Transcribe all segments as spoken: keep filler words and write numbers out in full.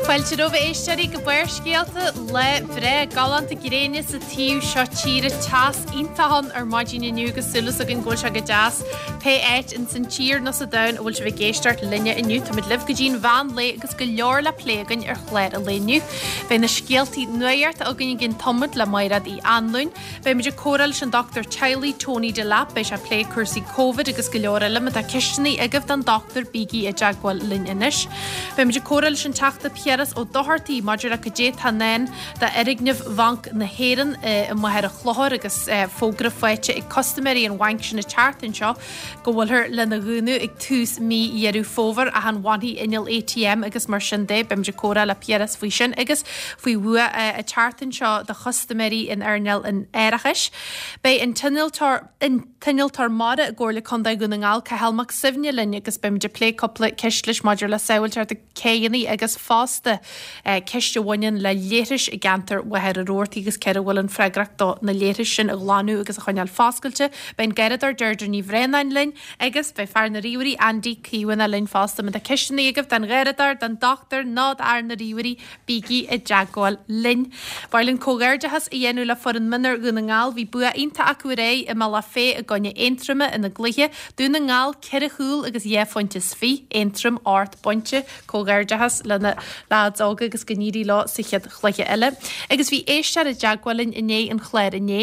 Fáilte romhaibh a éisteoirí go Barrscéalta lá breá galánta gréine sa taobh seo tíre teas iontach ann ar maidin inniu agus súil againn go bhfuil sé go deas pé áit in san tír nó sa domhan a bhfuil sibh ag éisteacht linne inniu Táimid libh go dtí'n mheán lae agus go leor le plé againn ar chlár an lae inniu. Beidh na scéaltaí nuachta againn i gcionn tamaill le Mairéad Uí Anluain, Beimid ag comhrá leis an dochtúir teaghlaigh Tony Delap beidh sé ag plé cúrsaí Covid agus go leor eile má tá ceisteanna agaibh don dochtúir bígí i dteagmháil linn anois. Beimid ag comhrá leis an Teachta Piaras Ó Dochartaigh maidir le cad é atá i ndán d'fhoirgneamh Bhanc na hÉireann i Machaire Chlochair agus fógra faighte ag custaiméirí an bhainc sin an tseachtain seo go bhfuiltear lena dhúnadh ag tús mí Dheireadh Fómhair ach an bhfanfaidh inneall ATM agus mar sin de beimid ag comhrá le Piaras faoi sin agus faoi bhua an tseachtain seo do chustaiméirí in earnáil an árachais. Beidh an t-innealtóir an t-innealtóir mara i gComhairle Contae Dhún na nGall Cathal Mac Suibhne linn agus beimid ag plé cúpla ceist leis maidir le sábháilteacht céanna agus fosta ceist a bhaineann le leithris i gceantar Mhachaire Rabhartaigh agus cé a bhfuil an freagracht do na leithris sin a ghlanadh agus a choinneáil foscailte. Beidh an Garradóir Deirdre Ní Bhraonáin linn agus beidh fear na ríomhairí Andy Caomhánach linn fosta má tá ceisteanna agaibh don Gharradóir, don dochtúir nó d'fhear na ríomhairí bígí i dteagmháil linn. Ba mhaith linn comhghairdeachas a dhéanamh le foireann mionúir Dhún na nGall bhí bua iontach acu aréir i mBealach Féich i gcoinne Aontroma ina gcluiche Dún na nGall ceithre chúl agus dhá phointe is fiche, Aontroim ocht bpointe comhghairdeachas lena leaids óga agus go n-éirí leo sa chéad chluiche eile. Agus bhí éisteoir i dteagmháil linn i ndiaidh an chláir inné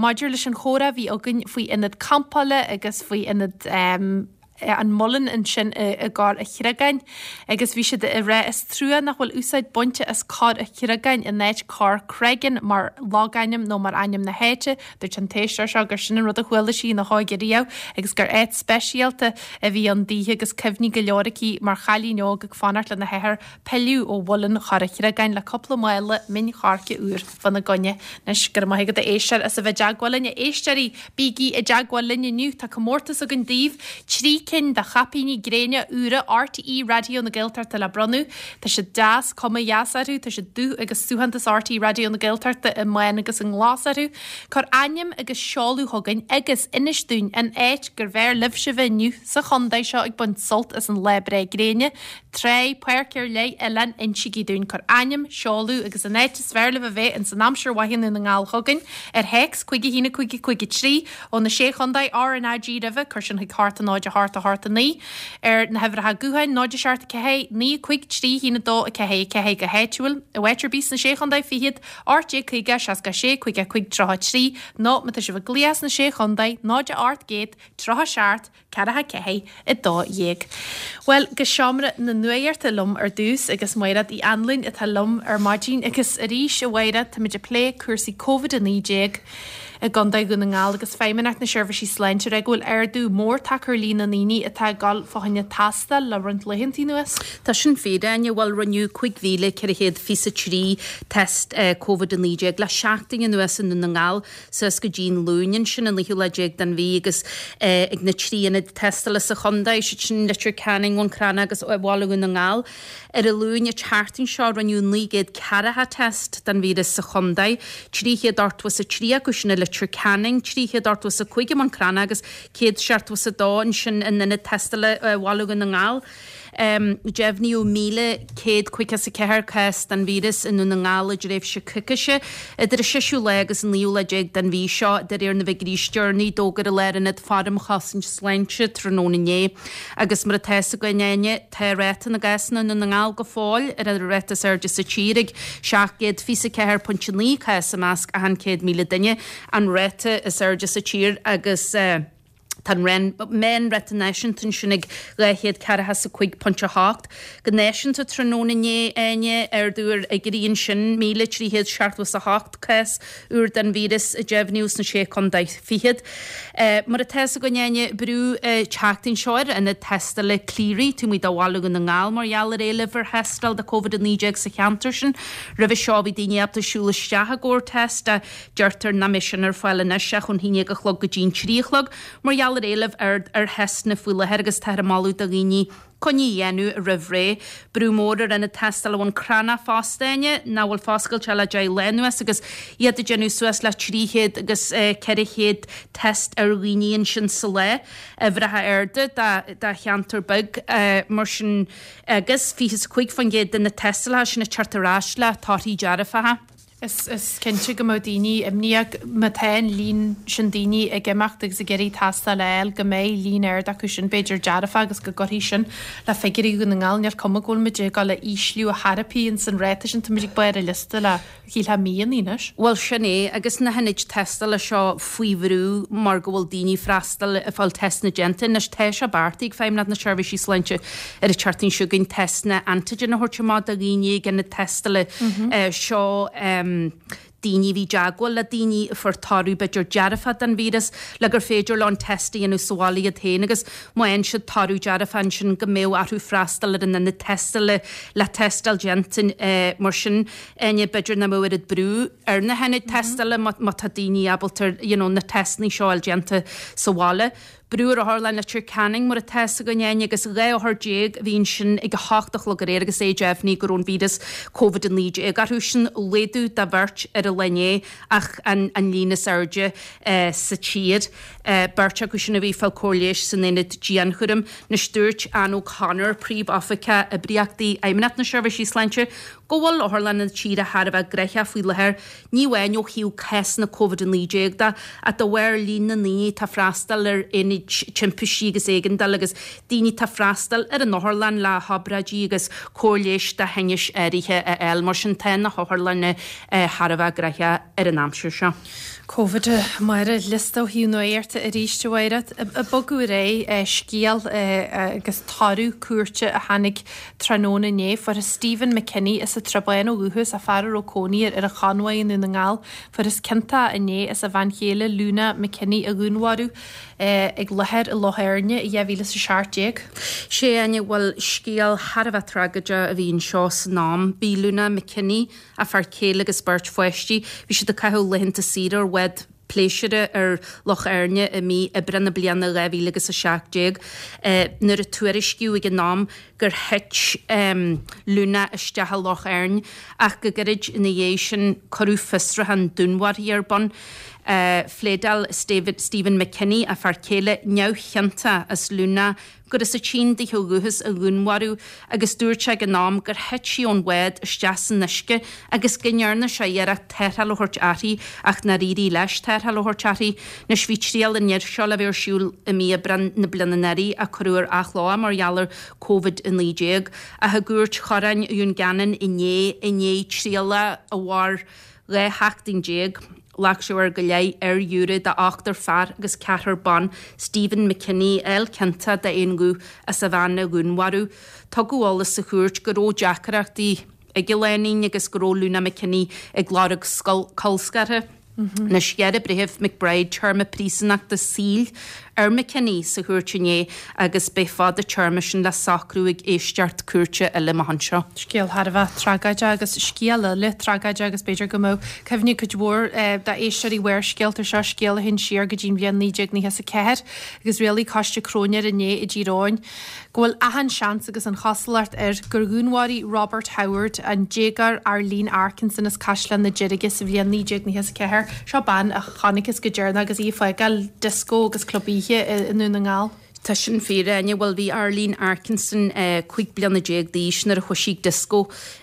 maidir leis an chomhrá a bhí againn faoi ionad campála agus faoi ionad um, an muileann ansin i gCorr an Chreagáin agus bhí siad ag rá is trua nach bhfuil úsáid bainte as Corr an Chreagáin in áit Corr Creggan mar logainm nó mar ainm na háite dúirt an t-éisteoir seo gur sin an rud a chuala sí ina hóige riamh agus gur áit speisialta a bhí ann daoithe agus cuimhní go leor aici mar chailín óg ag fanacht lena hathair pilleadh ó mhuileann Chorr an Chreagáin le cúpla mála min choirce úr fána choinne. Anois go raibh maith agat a éisteoir as a bheith i dteagmháil linn a éisteoirí bígí i dteagmháil linn inniu tá comórtas againn daoibh trí cinn de chaipíní gréine úra RTÉ Raidió na Gaeltachta le bronnadh Tá siad deas cuma dheas orthu tá siad dubh agus suaitheantas RTÉ Raidió na Gaeltachta i mbán agus i nglas orthu Cuir ainm agus seoladh chugainn agus inis dúinn an áit gur bhfearr libhse bheith inniu sa chontae seo ag baint sult as an lá breá gréine Trá páirc ar leith oileán insígí dúinn cuir ainm seoladh agus an áit is fearr libh a bheith in san aimsir mhaith i nDún na nGall chugainn ar théacs cúig a haon cúig cúig trí ó na sé chontae RnaG roimhe cuir sin chuig hocht náid a hocht a hocht a naoi ar na huimhreacha gutháin náid a seacht ceathair naoi cúig trí haon a dó a ceathair ceathair go háitiúil i bhfad ar bith sna sé chontae fichead ocht déag caoga seasca sé cúig cúig tríocha trí nó má tá sibh ag glaoch sna sé chontae náid a ocht gcéad tríocha seacht ceathracha ceathair a dó dhéag. Well go seomra na nuachta liom ar dtús agus Mairéad Uí Anluain atá liom ar maidin agus arís a Mhairéad táimid ag plé cúrsaí Covid a naoi déag i gContae Dhún na nGall agus Feidhmeannacht na Seirbhísí Sláinte ag rá go bhfuil ardú mór tagtha ar líon na ndaoine atá ag dul fá choinne tástáil le roinnt laethanta anuas. Tá sin fíor Áine bhuel rinneadh cúig mhíle ceithre chéad fiche trí test Covid a naoi déag le seachtain anuas i nDún na nGall suas go dtí an Luan ansin an naoú lá déag den mhí agus ag na trí ionad tástála sa chontae siad sin Leitir Ceanainn Bhun Cranncha agus Bhaile Dhún na nGall. Ar an Luan an tseachtain seo rinneadh naoi gcéad ceathracha test den víreas sa chontae, trí chéad ochtó is a trí acu sin i Leitir Ceanainn, trí chéad ochtó is a cúig i mBun Cranncha agus céad seachtó is a dó ansin in ionad tástála Bhaile Dhún na nGall. Um, Deimhníodh míle céad caoga is a ceathair cás den víreas i nDún na nGall i dtréimhse coicíse idir an séú lá agus an naoú lá déag den mhí seo de réir na bhfigiúirí is deireanaí d'fhógair an Lárionad Faire um Chosaint Sláinte tráthnóna inné. Agus mar atá a fhios againn Áine tá ráta na gcásanna i nDún na nGall go fóill ar an ráta is airde sa tír ag seacht gcéad fiche ceathair pointe naoi cás i measc achan céad míle duine an ráta is airde sa tír agus uh, Tá an meánráta náisiúnta ansin ag dhá chéad ceathracha is a cúig pointe a hocht. Go náisiúnta tráthnóna inné Áine ardú ar fhigiúirí ansin míle trí chéad seachtó is a hocht cás úr den víreas a deimhníodh sna sé chontae fichead. Mar atá a fhios againn Áine brú an tseachtain seo ar ionad tástála Cleary taobh amuigh de Bhaile Dhún na nGall mar gheall ar éileamh ar thástáil do Covid a naoi déag sa cheantar sin. Roimhe seo bhí daoine ábalta siúl isteach i gcomhair test deirtear nach mbeidh sin ar fáil anois ach ón haon déag a chlog go dtí an trí a chlog. Mar gheall gheall ar éileamh ard ar theisteanna faoi láthair agus táthar ag moladh do dhaoine coinní a dhéanamh roimh ré. Brú mór ar ionad tástála Bhun Cranncha fosta, Áine, nach bhfuil foscailte le deich lá anuas agus iad ag déanamh suas le trí chéad agus ceithre chéad test ar dhaoine ansin sa lá. Uimhreacha arda do cheantar beag mar sin agus fiche is a cúig faoin gcéad de na tástálacha sin ag teacht ar ais le torthaí dearfacha. Is cinnte go mbeadh daoine imníoch má tá an líon sin daoine ag imeacht agus ag iarraidh tástáil a fháil go mbeidh líon ard acu sin b'fhéidir dearfach agus go gcuirfidh sin le figiúirí Dhún na nGall. Níl cuma go bhfuil muid ag dul a ísliú a thairpí ins an ráta sin, táimid ag barr an liosta le shílfeá míonna anois. Bhuel sin é, agus na hionaid tástála seo faoi bhrú mar go bhfuil daoine ag freastal ag fáil teisteanna déanta. Anois tá sé beartaithe ag Feidhmeannacht na Seirbhísí Sláinte ar an tseachtain seo chugainn teisteanna antigen a thabhairt amach do dhaoine ag ionaid tástála seo. Daoine a bhí i dteagmháil le daoine a fuair toradh b'fhéidir dearfach den víreas le gur féidir leo an test a dhéanamh sa bhaile iad féin agus má fhaigheann siad toradh dearfach ansin go mbeadh orthu freastal ar an ionad tástála le tástáil déanta. Mar sin Áine, b'fhéidir nach mbeadh oiread brú ar na hionaid tástála má tá daoine ábalta you know na teisteanna seo a fháil déanta sa bhaile. Brú ar Otharlann Leitir Ceanainn mar atá fhios againn Áine agus dhá othar déag a bhí ansin ag a hocht a chlog aréir agus é deimhnithe go raibh an víreas Covid a naoi déag orthu. Sin laghdú de bheirt ar an lá inné ach an líon is airde sa tír. Beirt acu sin a bhí ag fáil cóir leighis san aonad dianchúraim. Anois dúirt Anne O'Connor, Príomh-Oifigeach Oibríochtaí Fheidhmeannacht na Seirbhísí Sláinte, go bhfuil otharlanna na tíre thar a bheith gnoitheach faoi láthair, ní amháin ó thaobh cásanna Covid a naoi déag de, ach de bharr líon na ndaoine atá ag freastal ar aonaid timpistí agus éigeandála agus daoine atá ag freastal ar an otharlann le hobráidí agus cóir leighis do thinnis áirithe a fháil. Mar sin tá na hotharlanna thar a bheith gnoitheach ar an aimsir seo. Covid i mbarr an liosta ó thaobh nuachta arís, a Mháire. Ag bogadh ar aghaidh, scéal agus toradh cúirte a tháinig tráthnóna inné. Fuarthas Stephen McKinney as an Tsrath Bán ó dhúchas, a fear a raibh cónaí air ar an Chonbhaigh i nDún na nGall. Fuarthas ciontach inné as a bhean chéile Luna McKinney a dhúnmharú ag láthair i Loch Éirne i dhá mhíle is a seacht déag. Sea, Áine, bhuel, scéal thar a bheith tragóideach a bhí anseo san am. Bhí Luna McKinney, a fear céile agus beirt pháistí, bhí siad ag caitheamh laethanta saoire ar bhád pléisiúir ar Loch Éirne i mí Aibreán na bliana dhá mhíle agus a seacht déag nuair a tuairiscíodh ag an am gur thit Luna isteach i Loch Éirne ach go gairid ina dhiaidh sin cuireadh fiosrúchán dúnmharfaithe ar bun. Phléadáil Stephen McKinney, a fear céile, neamhchiontach as Luna gur as an tSín di ó dhúchas a dhúnmharú agus dúirt sé ag an am gur thit sí ón bhád isteach san uisce agus go ndearna sé iarracht tarrtháil a thabhairt uirthi ach nár éirigh leis tarrtháil a thabhairt uirthi. Anois bhí triail an fhir seo le bheith ar siúl i mí Aibreán na bliana anuraidh ach cuireadh ar athló é mar gheall ar Covid a naoi déag. Ach i gCúirt Choráin Dhún Geanainn inné i ndiaidh trialach a mhair dhá sheachtain déag, Ghlac sé uair go leith ar ghiúiré de ochtar fear agus ceathrar ban, Stephen McKinney, a fháil ciontach d'aon ghuth as a bhean a dhúnmharú. Tugadh eolas sa chúirt go raibh deacrachtaí ag an lánúin agus go raibh Luna McKinney ag lorg colscartha. Anois, ghearr an Breitheamh McBride téarma príosúnachta saoil ar McKinney sa chúirt inné agus beidh fad an téarma sin le socrú ag éisteacht cúirte eile amach anseo. Scéal thar a bheith tragóideach agus scéal eile tragóideach agus b'fhéidir go mbeadh cuimhne ag cuid mhór d'éisteoirí Bharrscéalta air seo, scéal a théann siar go dtí'n bhliain naoi déag nócha is a ceathair agus rialaigh Coiste Cróinéir inné i dTír Eoghain go bhfuil achan seans agus an chosúlacht air gur dhúnmharaigh Robert Howard an déagóir Arlene Arkinson as Caisleán na Deirge sa bhliain naoi déag nócha is a ceathair. Seo bean a chonacthas go deireanach agus í ag fágáil dioscó agus club oíche i nDún na nGall. Tá sin fíor, a Áine. Bhuel, bhí Arlene Arkinson cúig bliana déag d'aois nuair a chuaigh sí ag dioscó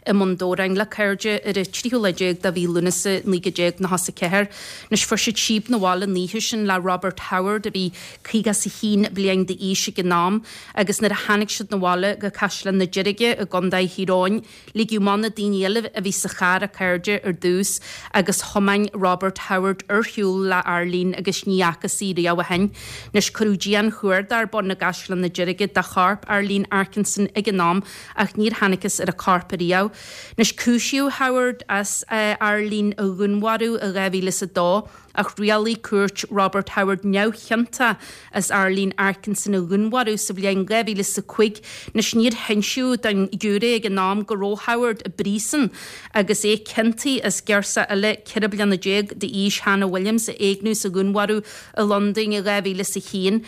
i mBun Dobhráin le cairde ar an tríú lá déag de mhí Lúnasa naoi déag nócha is a ceathair. Anois, fuair siad síob 'na bhaile an oíche sin le Robert Howard a bhí caoga is a haon bliain d'aois ag an am agus nuair a tháinig siad 'na bhaile go Caisleán na Deirge i gContae Thír Eoghain, Ligeadh amach na daoine eile a bhí sa charr, a cairde, ar dtús agus thiomáin Robert Howard ar shiúl le Arlene agus ní fhacthas í riamh ó shin. Anois, cuireadh dianchuardach ar bun i gCaisleán na Deirge do chorp Arlene Arkinson ag an am ach níor thángthas ar a corp ariamh. Anois, cúisíodh Howard as Arlene a dhúnmharú i dhá mhíle is a dó. Ach rialaigh cúirt Robert Howard neamhchiontach as Arlene Arkinson a dhúnmharú sa bhliain dhá mhíle is a cúig. Anois níor hinsíodh don ghiúiré ag an am go raibh Howard i bpríosún agus é ciontaithe as girseach eile ceithre bliana déag d'aois, Hannah Williams, a éigniú is a dhúnmharú i Londain i dhá mhíle is a haon.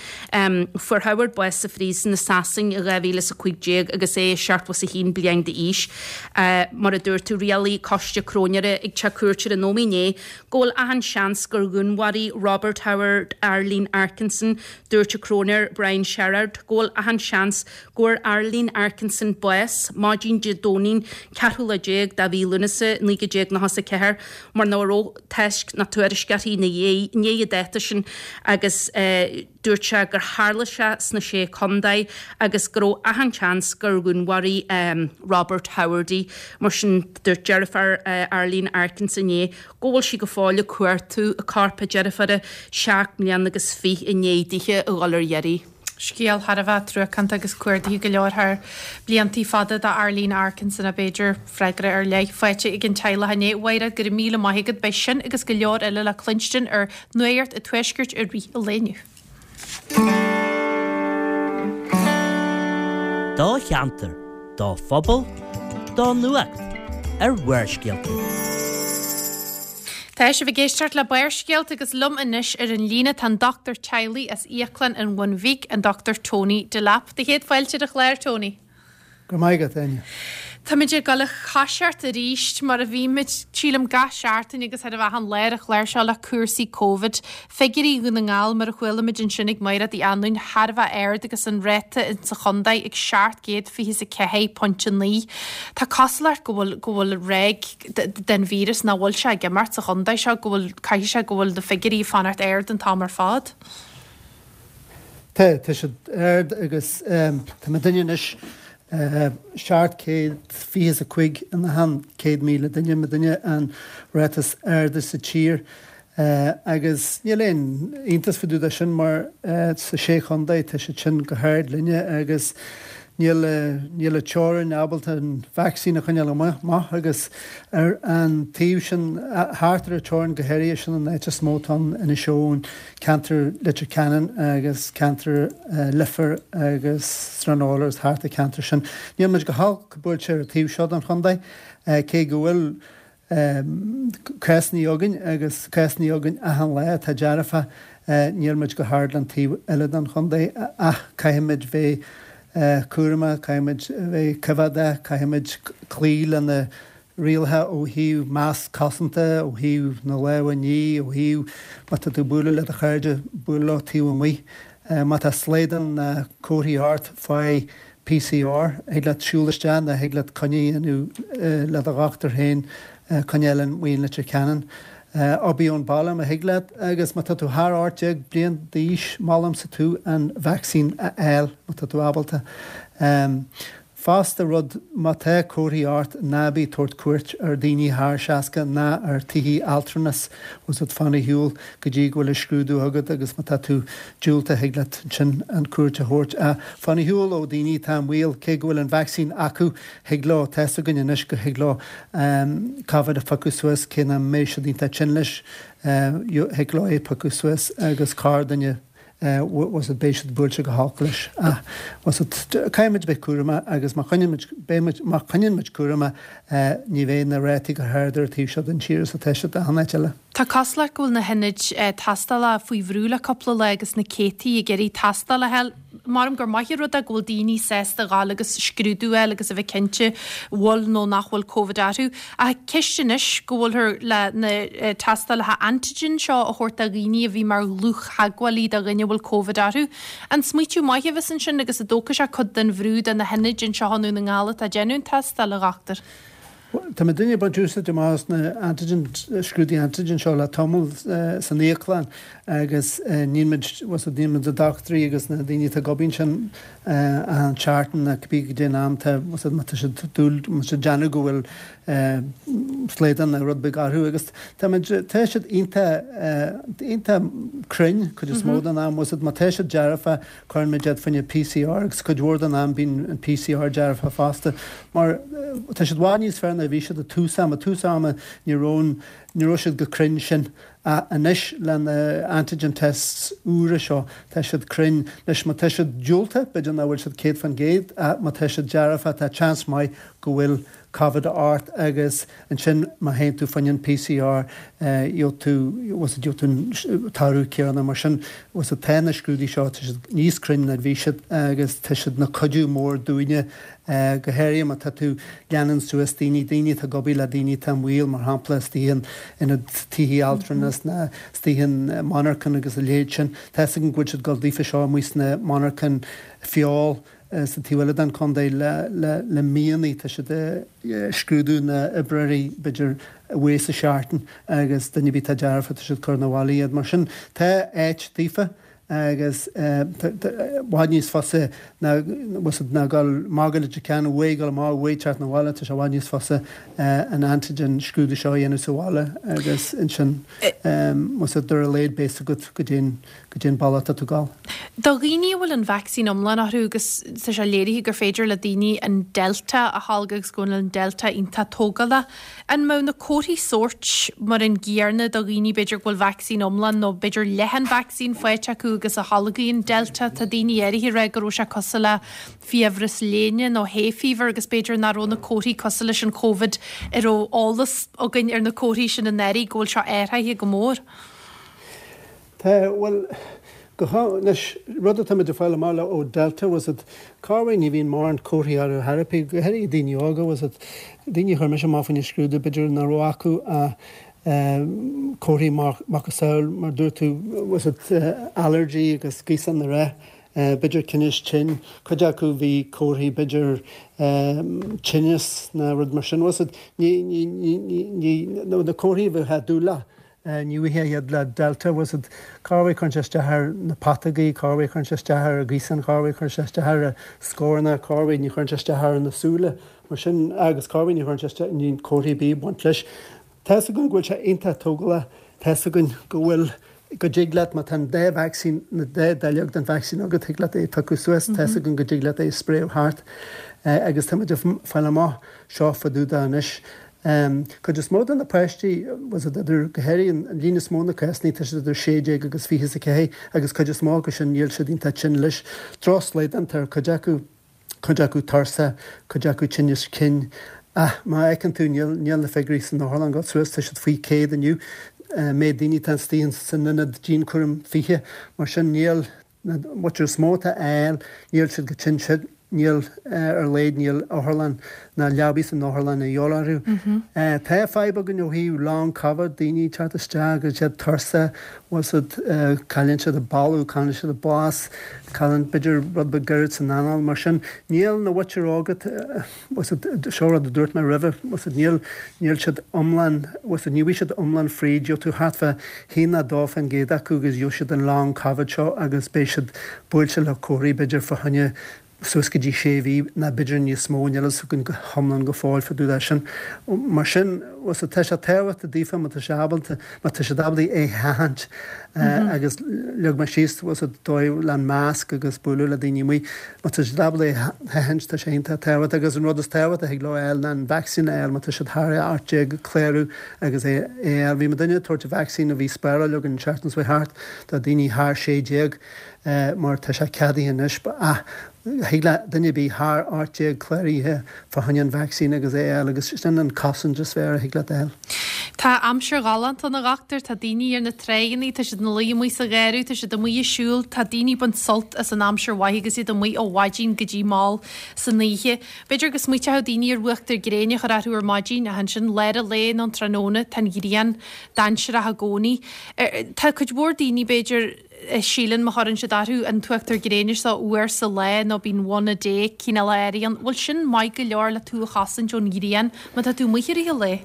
Fuair Howard bás sa phríosún i Sasain i dhá mhíle is a cúig déag agus é seachtó is a haon bliain d'aois. Mar a dúirt tú, rialaigh coiste cróinéara ag teach cúirte ar an Ómaigh inné go bhfuil achan seans gur dhúnmharaigh Robert Howard Arlene Arkinson. Dúirt an cróinéir Brian Sherrard go bhfuil achan seans go bhfuair Arlene Arkinson bás maidin Dé Domhnaigh ceathrú lá déag de mhí Lúnasa naoi déag nócha is a ceathair mar nach raibh tásc ná tuairisc uirthi i ndiaidh an dáta sin agus dúirt sé gur tharla sé sna Sé Chontae agus go raibh achan seans gur dhúnmharaigh Robert Howard í. Mar sin dúirt deirfiúr Arlene Arkinson inné go bhfuil sí go fóill ag cuartú a corp a deirféara seacht mbliana agus fiche i ndiaidh dithe a dhul ar iarraidh. Scéal thar a bheith truacánta agus cuardaithe go leor thar bliantaí fada do Arlene Arkinson a b'fhéidir freagra ar leith faighte ag an teaghlach inné. Mhairéad, go raibh míle maith agat. Beidh sin agus go leor eile le cluinstin ar Nuacht an Tuaiscirt i rith an lae inniu. Do cheantar, do phobal, do nuacht ar Bharrscéalta. Tá sibh ag éisteacht le Barrscéalta agus liom anois ar an líne tá an dochtúir teaghlaigh as Íoclann an Bhun Bhig, an Dochtúir Tony Delap. Do chéad fáilte ar an chlár, Tony. Go raibh maith agat, Áine. Táimid ag dul a choiseacht arís mar a bhímid, sílim, gach seachtain agus ar a bheith an lá ar an chlár seo le cúrsaí Covid. Figiúirí Dhún na nGall mar a chualaimid ansin ag Mairéad Uí Anluain thar a bheith ard agus an ráta insa chontae ag seacht gcéad fiche is a ceathair pointe naoi. Tá cosúlacht go bhfuil go bhfuil ráig den víreas nach bhfuil sé ag imeacht sa chontae seo, go bhfuil, caithfidh sé go bhfuil na figiúirí ag fanacht ard an t-am ar fad. Tá, tá siad ard agus tá muidinne anois seacht céad fiche is a cúig in achan céad míle duine, muidinne an ráta is airde sa tír agus níl aon iontas fá dtaobh de sin mar sa sé chontae tá siad sin go hard linne agus níl níl an teorainn ábalta an vacsaín a choinneáil amach agus ar an taobh sin thart ar an teorainn go háirithe sin an áit is mó atá ann Inis Eoghain, ceantar Leitir Ceanainn agus ceantar Leifear agus Srath na agus thart an ceantar sin. Níl muid go holc buailte ar an taobh seo den chontae cé go bhfuil cásanna againn agus cásanna againn achan lá atá dearfa, níl muid go hard le an taobh eile den chontae ach caithfimid bheith cúramach, caithfimid bheith coimheádach, caithfimid cloí le na rialacha ó thaobh masc cosanta, ó thaobh na lámha a ní, ó thaobh má tá tú ag bualadh le do chairde, buail leo taobh amuigh. Má tá slaghdán ná comharthaí ort, faigh P C R. Thig leat siúl isteach nó thig leat coinne a dhéanamh le do dhochtúir féin, coinne eile amuigh in Leitir Ceanainn. Obair ón baile má thig leat agus má tá tú thar ocht déag bliain d'aois, molaimse tú an vacsaín a fháil má tá tú ábalta. Fosta rud, má tá comharthaí ort, ná bí ag tabhairt cuairt ar daoine thar seasca ná ar tithe altranais, bhfuil 's agat, fan ar shiúl go dtí go bhfuil an scrúdú agat agus má tá tú diúltach thig leat ansin an cuairt a thabhairt. Ach fan ar shiúl ó daoine atá i mbaol, cé go bhfuil an vacsaín acu, thig leo, tá's againn anois go thig leo Covid a phiocadh suas cé nach mbeidh siad iontach tinn leis, thig leo é a phiocadh suas agus corrdhuine bhfuil 's agat beidh siad buailte go holc leis. Ach bhfuil 's agat caithfimid bheith cúramach agus má choinníonn muid, beidh muid, má choinníonn muid cúramach ní bheidh na rátaí chomh hard ar an taobh seo den tír is atá siad achan áit eile. Tá cosúlacht go bhfuil na hionaid tástála faoi bhrú le cúpla lá agus na céadtaí ag iarraidh tástáil a fháil. Maram gur maith an rud é go bhfuil daoine sásta a ghabháil agus scrúdú a fháil agus a bheith cinnte bhfuil nó nach bhfuil Covid orthu. Ach ceist anois go bhfuilthear le na tástálacha antigen seo a thabhairt do dhaoine a bhí mar dhlúth-theagmhálaí do dhuine a bhfuil Covid orthu. An smaoitiú maith a bheas ansin agus an dtógfaidh sé cuid den bhrú de na hionaid anseo i nDún na nGall atá ag déanamh an tástáil, a dhochtúir? Tá muidinne ag baint úsáid amach as na antigen, scrúduithe antigen seo le tamall san íoclann agus níl muid, bhfuil 's agat, níl muid na dochtúirí agus na daoine atá ag obair ansin achan tseachtain ná cibé goidé an am tá, bhfuil 's agat, má tá siad dúil, má tá siad déanamh go bhfuil slaghdán nó rud beag orthu agus tá muid, tá siad iontach, iontach cruinn cuid is mó den am, bhfuil 's agat, má tá siad dearfa cuireann muid iad fá choinne P C R agus cuid mhór den am bíonn an P C R dearfa fosta mar tá siad i bhfad níos fearr ná a bhí siad i tús ama. Tús ama ní raibh ní raibh siad chomh cruinn sin. Anois le na antigen tests úra seo, tá siad cruinn. Anois má tá siad diúltach, b'fhéidir nach bhfuil siad céad faoin gcéad, ach má tá siad dearfa, tá seans maith go bhfuil Covid ort agus ansin má théann tú fá choinne an PCR, gheobhaidh tú, gheobhaidh tú an toradh céanna. Mar sin, tá na scrúduithe seo, tá siad níos cruinne ná a bhí siad agus tá siad ina cuidiú mór dúinne. Go háirithe má tá tú leanann suas daoine, daoine atá ag obair le daoine atá i mbaol, mar shampla, istigh in ionad tithe altranais ná istigh in monarchain agus a leithéid sin. Tá 'fhios againn go bhfuil siad ag dul daofa seo amuigh sna monarchain feoil sa taobh eile den chontae le le le míonna. Tá siad ag scrúdú na oibreoirí b'fhéidir uair sa seachtain agus duine ar bith atá dearfa tá siad ag cur 'na bhaile iad. Mar sin tá áit daofa. agus i bhfad níos fusa ná ná dul amach go Leitir Ceanainn uaidh dul amach uaidh teacht 'na bhaile, tá sé i bhfad níos fusa an antigen scrúdú seo a dhéanamh sa bhaile agus ansin más ea ar a laghad beidh 'fhios agat goidé goidé an bealach atá tú ag dul. Do dhaoine a bhfuil an vacsaín iomlán orthu agus tá sé léirithe gur féidir le daoine an Delta a tholgadh agus go bhfuil an Delta iontach tógálach, An mbeadh na comharthaí sóirt mar an gcéanna do dhaoine b'fhéidir go bhfuil vacsaín iomlán nó b'fhéidir leath an vacsaín faighte acu agus a tholgfaidh an Delta? Tá daoine áirithe ag rá go raibh sé cosúil le fiabhras léine nó hay fever agus b'fhéidir nach raibh na comharthaí cosúil leis an Covid a raibh eolas againn ar na comharthaí sin anuraidh go bhfuil seo athraithe go mór. Tá, bhuel, go anois, rud atá muid ag fáil amach le ó Delta was it, corruair ní bhíonn mórán comharthaí orthu ar bith, go háirithe daoine óga, was it, daoine a chuir mise amach fá choinne scrúdú, b'fhéidir nach raibh acu ach comharthaí macasamhail, mar dúirt tú, was it, allergy agus gaosán na rith, b'fhéidir tinneas tinn, cuid acu bhí comharthaí b'fhéidir tinneas ná rud mar sin, was it, ní, ní, ní, ní, ní, na comharthaí a bheifeá ag dúil leo. Ní bhfaighfeá iad le Delta, was it, corruair cuireann sé isteach ar na putógaí, corruair cuireann sé isteach ar an ghaosán, corruair cuireann sé isteach ar an scornach, corruair ní chuireann sé isteach ar na súile, mar sin, agus corruair ní chuireann sé isteach, níl comharthaí ar bith ag baint leis. Tá 'fhios againn go bhfuil sé iontach tógálach, tá 'fhios againn go bhfuil, go dtig leat, má tá an dá vacsaín, na dá dáileog den vacsaín agat, thig leat é a phiocadh suas, tá 'fhios againn go dtig leat é a spréadh thart agus tá muid ag fáil amach seo fá dtaobh de anois. Cuid is mó de na páistí, was it idir, go háirithe an líon is mó na cásanna, tá siad idir sé déag agus fiche is a ceathair agus cuid is mó acu sin níl siad iontach tinn leis. Drochshlaghdán tá ar cuid acu, cuid acu tuirseach, cuid acu tinneas cinn. Ach má fheiceann tú níl, níl na figiúirí san otharlann ag dul suas, tá siad faoi céad inniu. Méid daoine atá istigh san ionad dianchúraim fiche, mar sin níl na muintir is mó atá á fháil, níl siad chomh tinn sin. Níl, ar a laghad níl otharlann ná leabaí san otharlann a dhíobháil orthu. Tá fadhb againn ó thaobh long covid, daoine ag teacht isteach agus iad tuirseach, bhfuil 's agat, cailleann siad a boladh, cailleann siad a blas, cailleann b'fhéidir rud beag gairid san anáil, mar sin níl na mhuintir óga, bhfuil 's agat, seo rud a dúirt mé roimhe, bhfuil 's agat, níl, níl siad iomlán, bhfuil 's agat, ní bhfuil siad iomlán fríd, gheobhaidh tú thart fá haon nó dó fán gcéad acu agus gheobhaidh siad an long covid seo agus beidh siad buailte le comharthaí b'fhéidir fá choinne suas go dtí sé mhí ná b'fhéidir níos mó, níl fhios againn go hiomlán go fóill fá dtaobh de sin. Mar sin, bhfuil 's agat, tá sé tábhachtach daofa má tá sé ábalta, má tá siad ábalta é a sheachaint agus leag mé síos, bhfuil 's agat, dóibh le an masc agus bualadh le daoine amuigh, má tá siad ábalta é a sheachaint, tá sé iontach tábhachtach agus an rud is tábhachtaí a thig leo a fháil ná an vacsaín a fháil má tá siad thar a ocht déag, clárú agus é a fháil. Bhí muidinne ag tabhairt an vacsaín a bhí spáráil againn an tseachtain seo thart do daoine thar sé déag. mar tá sé ceadaithe anois, ach thig le duine ar bith thar ocht déag cláraithe fá choinne an vacsaín agus é a fháil agus sin an cosaint is fearr a thig leat a fháil. Tá aimsir ghalánta ann a dhochtúir, tá daoine ar na tráigheannaí, tá siad ina luí amuigh sa gheimhreadh, tá siad amuigh ag siúl, tá daoine ag baint sult as an aimsir mhaith agus iad amuigh ó mhaidin go dtí mall san oíche. B'fhéidir go smaoiteochadh daoine ar uachtar gréine a chur orthu ar maidin ach ansin lár an lae nó an tráthnóna tá an ghrian dainséarach i gcónaí. Tá cuid mhór daoine b'fhéidir, síleann má chuireann siad orthu an t-uachtar gréine seo uair sa lá nó bíonn one a day cineál áirithe ann, bhfuil sin maith go leor le tú a chosaint ón ghrian má tá tú amuigh i rith an lae?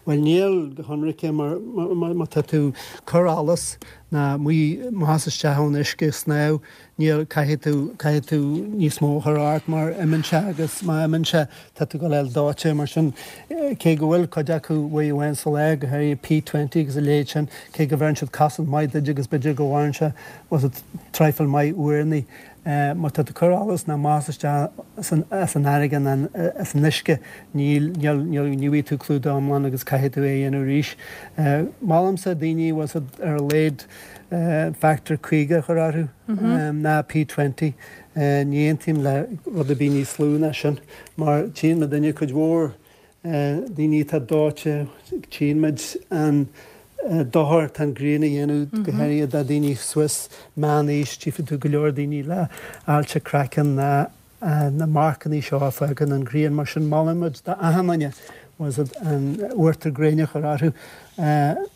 Bhuel níl go hionraice mar má tá tú ag cur allas ná amuigh amach isteach ón uisce snámh, níl, caithfidh tú, caithfidh tú níos mó a chur ort mar imíonn sé agus má imíonn sé tá tú ag dul dóite mar sin cé go bhfuil cuid acu uair amháin sa lá, go háirithe P twenty agus a leithéid sin, cé go bheireann siad cosaint maith duit agus b'fhéidir go mhaireann sé bhfuil a fhios agat traidhfil maith uaireanna. Má tá tú ag cur allas ná amach is isteach as an fharraige ná as an uisce, níl, níl, níl, ní bhfaighidh tú clúdach iomlán agus caithfidh tú é a dhéanamh arís. Molaimse daoine, bhfuil a fhios agat, ar a laghad factor caoga a chur orthu, ná P twenty. Ní aontaím le rud ar bith níos lú ná sin, mar tchíonn muidinne cuid mhór daoine atá dóite, tchíonn muid an dochar atá an ghrian a dhéanamh, go háirithe do dhaoine suas meánaois, tchífidh tú go leor daoine le ailse craicinn ná na marcanna seo a fhágann an ghrian. Mar sin molann muid d'achan duine bhfuil a fhios agat an uachtar gréine a chur orthu,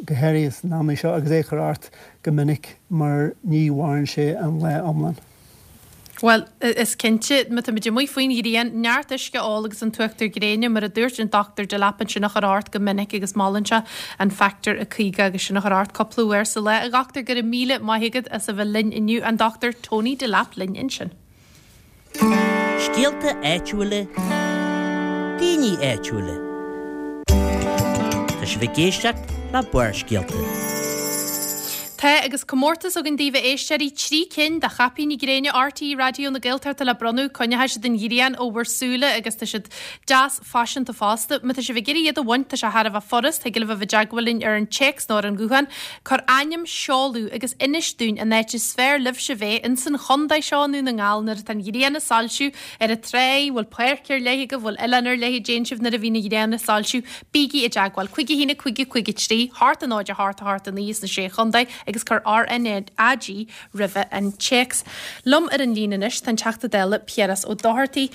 go háirithe san am seo, agus é a chur ort go minic mar ní mhaireann sé an lá iomlán. Bhuel, is cinnte, má táimid amuigh faoin ghrian, neart uisce a ól agus an t-uachtar gréine, mar a dúirt an Dochtúir Delap ansin a chur ort go minic agus molann sé an factor a caoga agus sin a chur ort cúpla uair sa lá. A Dhochtúir, go raibh míle maith agat as a bheith linn inniu. An Dochtúir Tony Delap linn ansin. Scéalta áitiúla, daoine áitiúla. Tá sibh ag éisteacht le Barrscéalta. Tá agus comórtas againn daoibh a éisteoirí, trí cinn de chaipíní gréine RTÉ Raidió na Gaeltachta le bronnadh, coinneoidh siad an ghrian ó bhur súile agus tá siad deas faiseanta fosta. Má tá sibh ag iarraidh iad a bhaint, tá sé thar a bheith furast, thig libh a bheith i dteagmháil linn ar an téacs nó ar an ghuthán. Cuir ainm, seoladh agus inis dúinn an áit is fearr libhse bheith ins an chontae seo i nDún na nGall nuair atá an ghrian ag soilsiú ar an tráigh, bhfuil páirc ar leith agaibh, bhfuil oileán ar leith a dtéann sibh nuair a bhíonn an ghrian ag soilsiú. Bígí i dteagmháil. Cúig a haon a cúig a cúig a trí, hocht a náid a hocht a hocht a naoi sna Sé Chontae agus cuir RNAG roimhe an téacs. Liom ar an líne anois tá an Teachta Dála Piaras Ó Dochartaigh.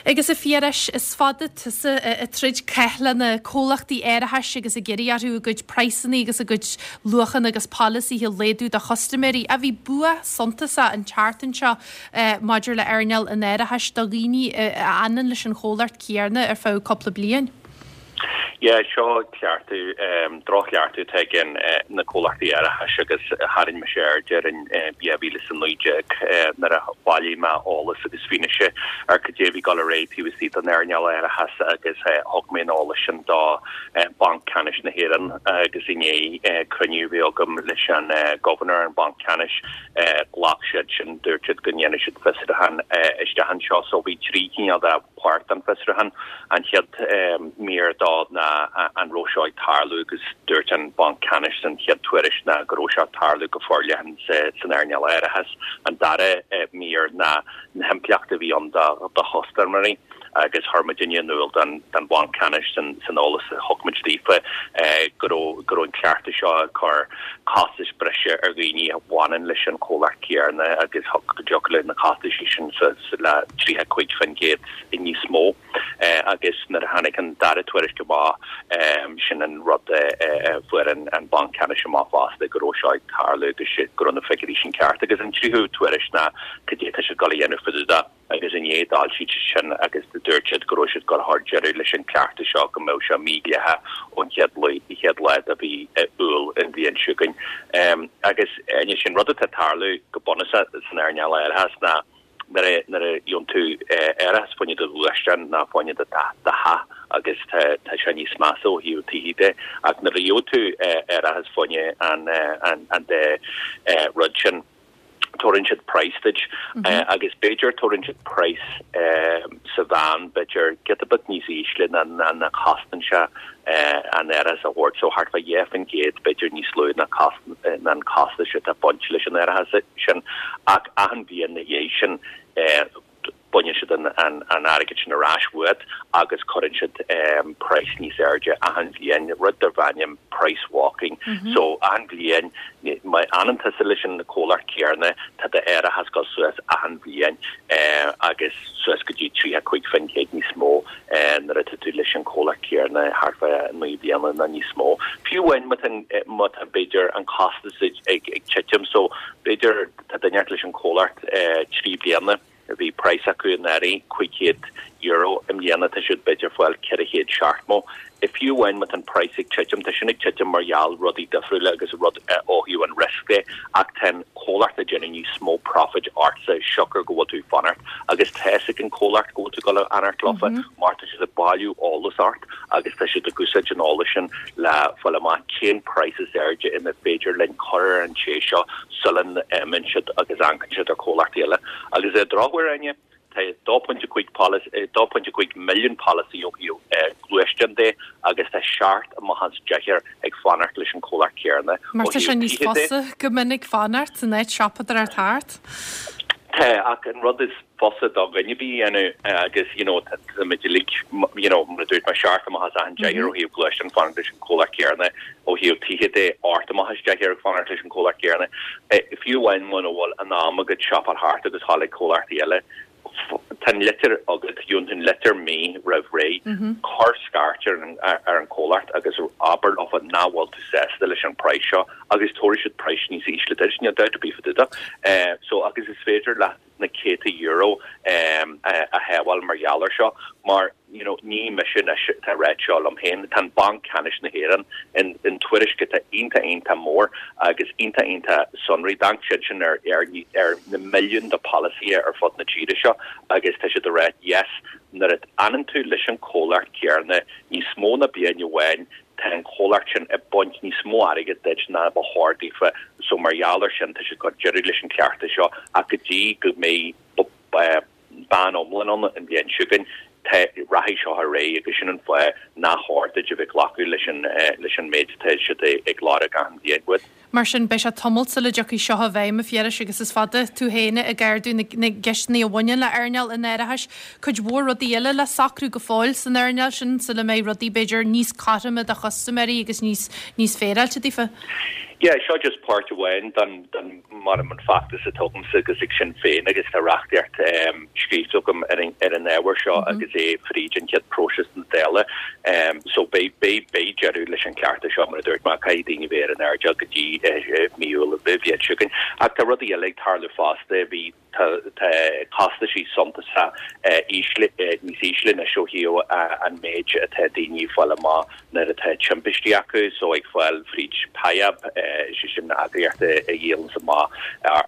Agus a Phiarais, is fada tusa ag troid cath le na comhlachtaí árachais agus ag iarraidh orthu a gcuid praghsanna agus a gcuid luachanna agus polasaithe a laghdú do chustaiméirí. Ach bhí bua suntasach an tseachtain seo maidir le earnáil an árachais do dhaoine a fhanann leis an chomhlacht céanna ar feadh cúpla bliain. Yeah, seo cleachtadh, droch-chleachtadh atá ag na comhlachtaí árachais agus tharraing mise aird air in dhá mhíle is a naoi déag nuair a bhailigh mé eolas agus fianaise ar cad é a bhí ag dul ar aghaidh taobh istigh den earnáil árachais agus thug mé an eolas sin do Banc Ceannais na hÉireann agus i ndiaidh cruinniú a bhí agam leis an Governor an Banc Ceannais ghlac siad sin, dúirt siad go ndéanfaidh siad fiosrúchán isteach anseo so bhí trí chineál de pháirt den fiosrúchán. An chéad mír dó ná an raibh seo ag tarlú agus dúirt an Banc Ceannais san chéad tuairisc ná go raibh seo ag tarlú go forleathan san earnáil árachais. An dara mír ná na himpleachtaí a bhí ann do chustaiméirí agus chuir muidinne in iúl don Bhanc Ceannais san eolas a thug muid daofa go raibh go raibh an cleachtadh seo ag cur costais breise ar dhaoine a bhaineann leis an chomhlacht céanna agus go dtiocfadh le na costais sin le tríocha cúig faoin gcéad níos mó agus nuair a tháinig an dara tuairisc amach sin an rud a fuair an Banc Ceannais amach fosta go raibh seo ag tarlú agus go raibh na figiúirí sin ceart agus an tríú tuairisc ná cad é atá siad ag dul a dhéanamh fá dtaobh de agus inné d'fhoilsigh siad sin agus dúirt siad go raibh siad ag dul a chur deireadh leis an gcleachtadh seo go mbeadh sé mídhleathach ón chéad chéad lá de mhí Iúil an bhliain seo chugainn. Agus anois an rud atá ag tarlú go bunúsach san earnáil árachais ná nuair a nuair a gheobhann tú árachas fá choinne do ghluaisteán ná fá choinne do theach agus tá tá sé níos measa ó thaobh tithe de ach nuair a gheobhann tú árachas fá choinne an an an dá rud sin tabharann siad praghas duit agus b'fhéidir tabharann siad praghas sa mheán b'fhéidir giota beag níos ísle ná ná cosnaíonn sé an árachas a thabhairt so thart fá dheich faoin gcéad b'fhéidir níos lú ná ná an costas atá bainte leis an árachas sin ach achan bhliain ina dhiaidh sin baineann siad an an airgead sin ar ais uait agus cuireann siad praghas níos airde achan bhliain, rud darb ainm price walking. So achan bhliain, má fhanann tusa leis an comhlacht céanna, tá d'árachas ag dul suas achan bhliain agus suas go dtí tríocha cúig faoin gcéad níos mó nuair atá tú leis an comhlacht céanna thart fá naoi bliana nó níos mó. Fiú amháin má tá má tá b'fhéidir an costas ag ag titim, so b'fhéidir tá duine leis an comhlacht trí bliana, Bhí praghas acu anuraidh cúig chéad euro i mbliana tá siad b'fhéidir fáil ceithre chéad seachtó. Fiú amháin má tá an praghas ag titim, tá sin ag titim mar gheall rudaí difriúla agus rud ó thaobh an risk de, ach tá an comhlacht ag déanamh níos mó profit ortsa siocair go bhfuil tú ag fanacht agus tá fhios ag an comhlacht go bhfuil tú ag dul a fhanacht leofa mar tá siad ag bailiú eolas ort agus tá siad ag úsáid an eolais sin le fáil amach cén praghas is airde ina féidir linn cur ar an té seo sula n-imíonn siad agus amharcann siad ar comhlachtaí eile. Agus ar drochuair, Áine, Tá dó pointe cúig dó pointe cúig milliún polasaí ó thaobh gluaisteán de agus tá seacht amach as deich ag fanacht leis an comhlacht céanna. Mar tá sé níos fusa go minic fanacht san áit siopadóireacht thart. Tá, ach an rud is fusa do dhuine ar bith a dhéanamh agus you know táimid uilig you know mar a dúirt mé seacht amach as achan deich ó thaobh gluaisteán fanacht leis an comhlacht céanna ó thaobh tithe de ocht amach as deich ag fanacht leis an comhlacht céanna. Fiú amháin muna bhfuil an am agat siopadóireacht thart agus dhul ag comhlachtaí eile, tá an litir agat, gheobhann tú an litir mí roimh ré, cuir scairt ar an ar an comhlacht agus abair leofa nach bhfuil tú sásta leis an praghas seo agus tabharfaidh siad praghas níos ísle duit, níl dabht ar bith fá dtaobh de. So agus is féidir leat na céadta euro a shábháil mar gheall air seo mar you know ní mise anois atá ag ráit seo liom féin, tá an Banc Ceannais na hÉireann in in tuairisc atá iontach iontach mór agus iontach iontach sonraí, d'amharc siad sin ar ar ar na milliúin de polasaithe ar fud na tíre seo agus tá siad ag ráit yes nuair a fhanann tú leis an comhlacht céanna níos mó ná bliain amháin tá an comhlacht sin ag baint níos mó airgid duit ná ba chóir daofa so mar gheall air sin tá siad ag cur deireadh leis an cleachtadh seo ach go dtí go mbeidh ban iomlán ann an bhliain seo chugainn, tá, rachaidh seo ar aghaidh agus sin an fáth nach chóir duit a bheith ag glacadh leis an leis an méid atá siad ag lorg achan bhliain uait. Mar sin, beidh sé tamall sula dtiocfaidh seo i bhfeidhm, a Phiarais, agus is fada tú féin ag ardú na gceisteanna a bhaineann le earnáil an árachais. Cuid mhór rudaí eile le socrú go fóill san earnáil sin sula mbeidh rudaí, b'fhéidir, níos cothroime do chustaiméirí agus níos níos féaráilte daofa. Yeah, seo just páirt amháin den, den, mar an feachtas atá agamsa agus ag Sinn Féin agus tá reachtaíocht scríofa agam ar an, ar an ábhar seo agus é fríd an chéad próiseas na Dála. So beidh, beidh, beidh deireadh leis an cleachtadh seo mar a dúirt mé, caithfidh daoine bheith ar an airdeall go dtí mí Iúil an bhliain seo chugainn. Ach tá rudaí eile ag tarlú fosta, bhí, Tá costaisí suntasach ísle, níos ísle anois ó thaobh an méid atá daoine ag fáil amach nuair atá timpistí acu, so ag fáil fríd PIAB, is é sin eagraíocht a dhíolanns amach, a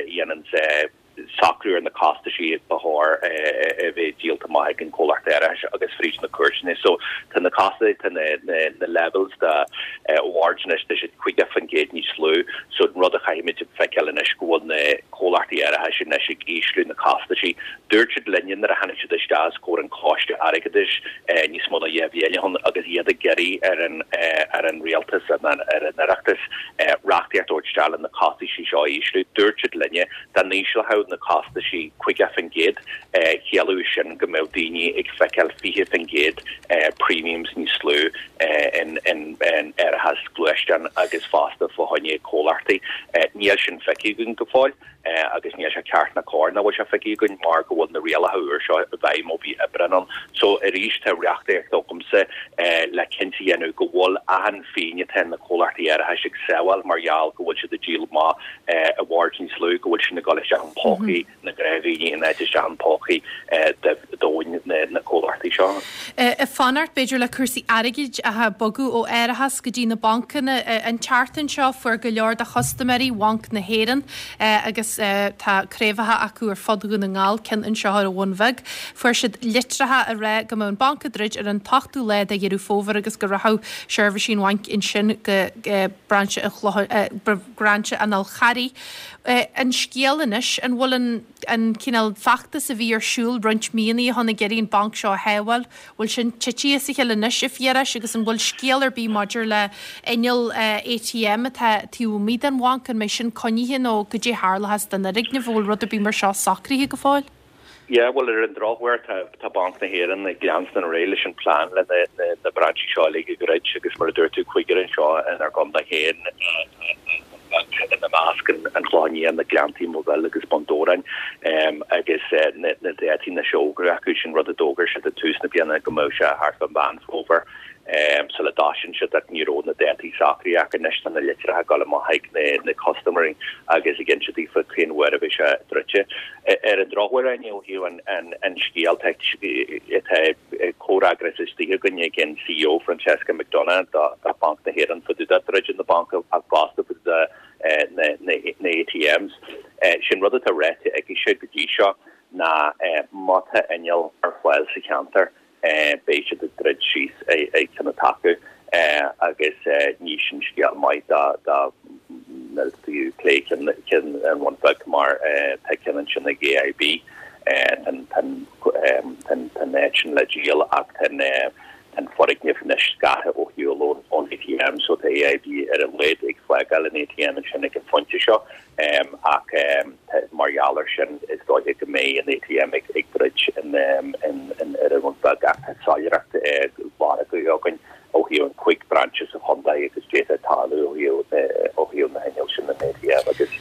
dhéananns socrú ar na costaisí ba chóir a bheith díolta amach ag an comhlacht árachais agus fríd na cúirteanna. So tá na costais, tá na levels de awards anois, tá siad caoga faoin gcéad níos lú. So an rud a chaithfimid a feiceáil anois go bhfuil na comhlachtaí árachais anois ag ísliú na costaisí. Dúirt siad linne nuair a tháinig siad isteach os comhair an Choiste Airgeadais níos mó ná dhá bhliain ó shin agus iad ag iarraidh ar an ar an Rialtas ar an Oireachtas reachtaíocht a thabhairt isteach le na costaisí seo a ísliú. Dúirt siad linne dá n-ísleodh na costaisí caoga faoin gcéad, chiallódh sin go mbeadh daoine ag feiceáil fiche faoin gcéad premiums níos lú in árachas gluaisteán agus fosta fá choinne comhlachtaí. Níl sin feicthe againn go fóill agus níl sé ceart ná cóir nach bhfuil sé feicthe againn mar go bhfuil na rialacha úr seo i bhfeidhm ó mhí Aibreáin ann. So arís tá reachtaíocht agamsa le cinnte a dhéanamh go bhfuil achan phingin atá na comhlachtaí árachais ag sábháil mar gheall go bhfuil siad ag díol amach awards níos lú, go bhfuil sin ag dul isteach in pócaí na ngnáthdhaoine in áit isteach in pócaí domhain na comhlachtaí seo. Ag fanacht, b'fhéidir, le cúrsaí airgid atá ag bogadh ó árachas go dtí na bancanna. An tseachtain seo fuair go leor de chustaiméirí Bhanc na hÉireann, agus tá craobhacha acu ar fud Dhún na nGall, ceann anseo ar an Bhun Bheag, fuair siad litreacha ag rá go mbeadh an banc ag druid ar an t-ochtú lá de Dheireadh Fómhair agus go rachadh seirbhísí an bhainc ansin go brainse an Chlocháin, brainse an Fhál Charraigh. An scéal anois, an bhfuil an an cineál feachtas a bhí ar siúl roinnt míonna ó shin ag iarraidh an banc seo a shábháil, bhfuil sin titithe as a chéile anois, a Phiarais, agus an bhfuil scéal ar bith maidir le inneall ATM atá taobh amuigh den bhanc, an mbeidh sin coinnithe nó goidé a tharlóchas don fhoirgneamh, an bhfuil rud ar bith mar seo socraithe go fóill? Yeah, bhuel, ar an drochuair, tá tá Banc na hÉireann ag leanstan ar aghaidh leis an plean le na na na brainsí seo uilig a dhruid agus mar a dúirt tú, cúigear anseo inár gcontae féin ina measc, an Clochán Liath, na Gleanntaí, Maigh Bhil agus Bun Dobhráin agus na na dátaí anois á bhfógairt acu, sin rud a d'fhógair siad ag tús na bliana go mbeadh sé thart fá Mheán Fómhair. sula dtosaíonn siad ach ní raibh na dátaí socraithe ach anois tá na litreacha ag dul amach chuig na na custaiméirí agus ag inse daofa cén uair a bheidh sé druidte. Ar an drochuair Áine ó thaobh an an an scéal tá tá comhfhreagras istigh againn ag an CEO Francesca McDonagh do do Banc na hÉireann fá dtaobh de druidim na banc ach fosta fá dtaobh de na na na ATMs. Sin rud atá ráite aici go dtí seo ná má tá inneall ar fáil sa cheantar beidh siad ag druid síos ag ceann atá acu agus ní sin scéal maith dá dá clé ceann an Bhun Bheag mar tá ceann ansin ag AIB tá an áit sin le díol ach tá an foirgneamh anois scartha ó shiúl ón ATM so tá AIB ar a laghad ag fágáil an ATM ansin ag an phointe seo ach mar gheall air sin is dóiche go mbeidh an ATM ag ag druid in in in ar an Bhun Bheag ach tá soiléireacht lorgtha againn ó thaobh an cúig brainse sa chontae agus d'fhéadfadh tarlú ó thaobh ó thaobh na hinnill sin an ATM agus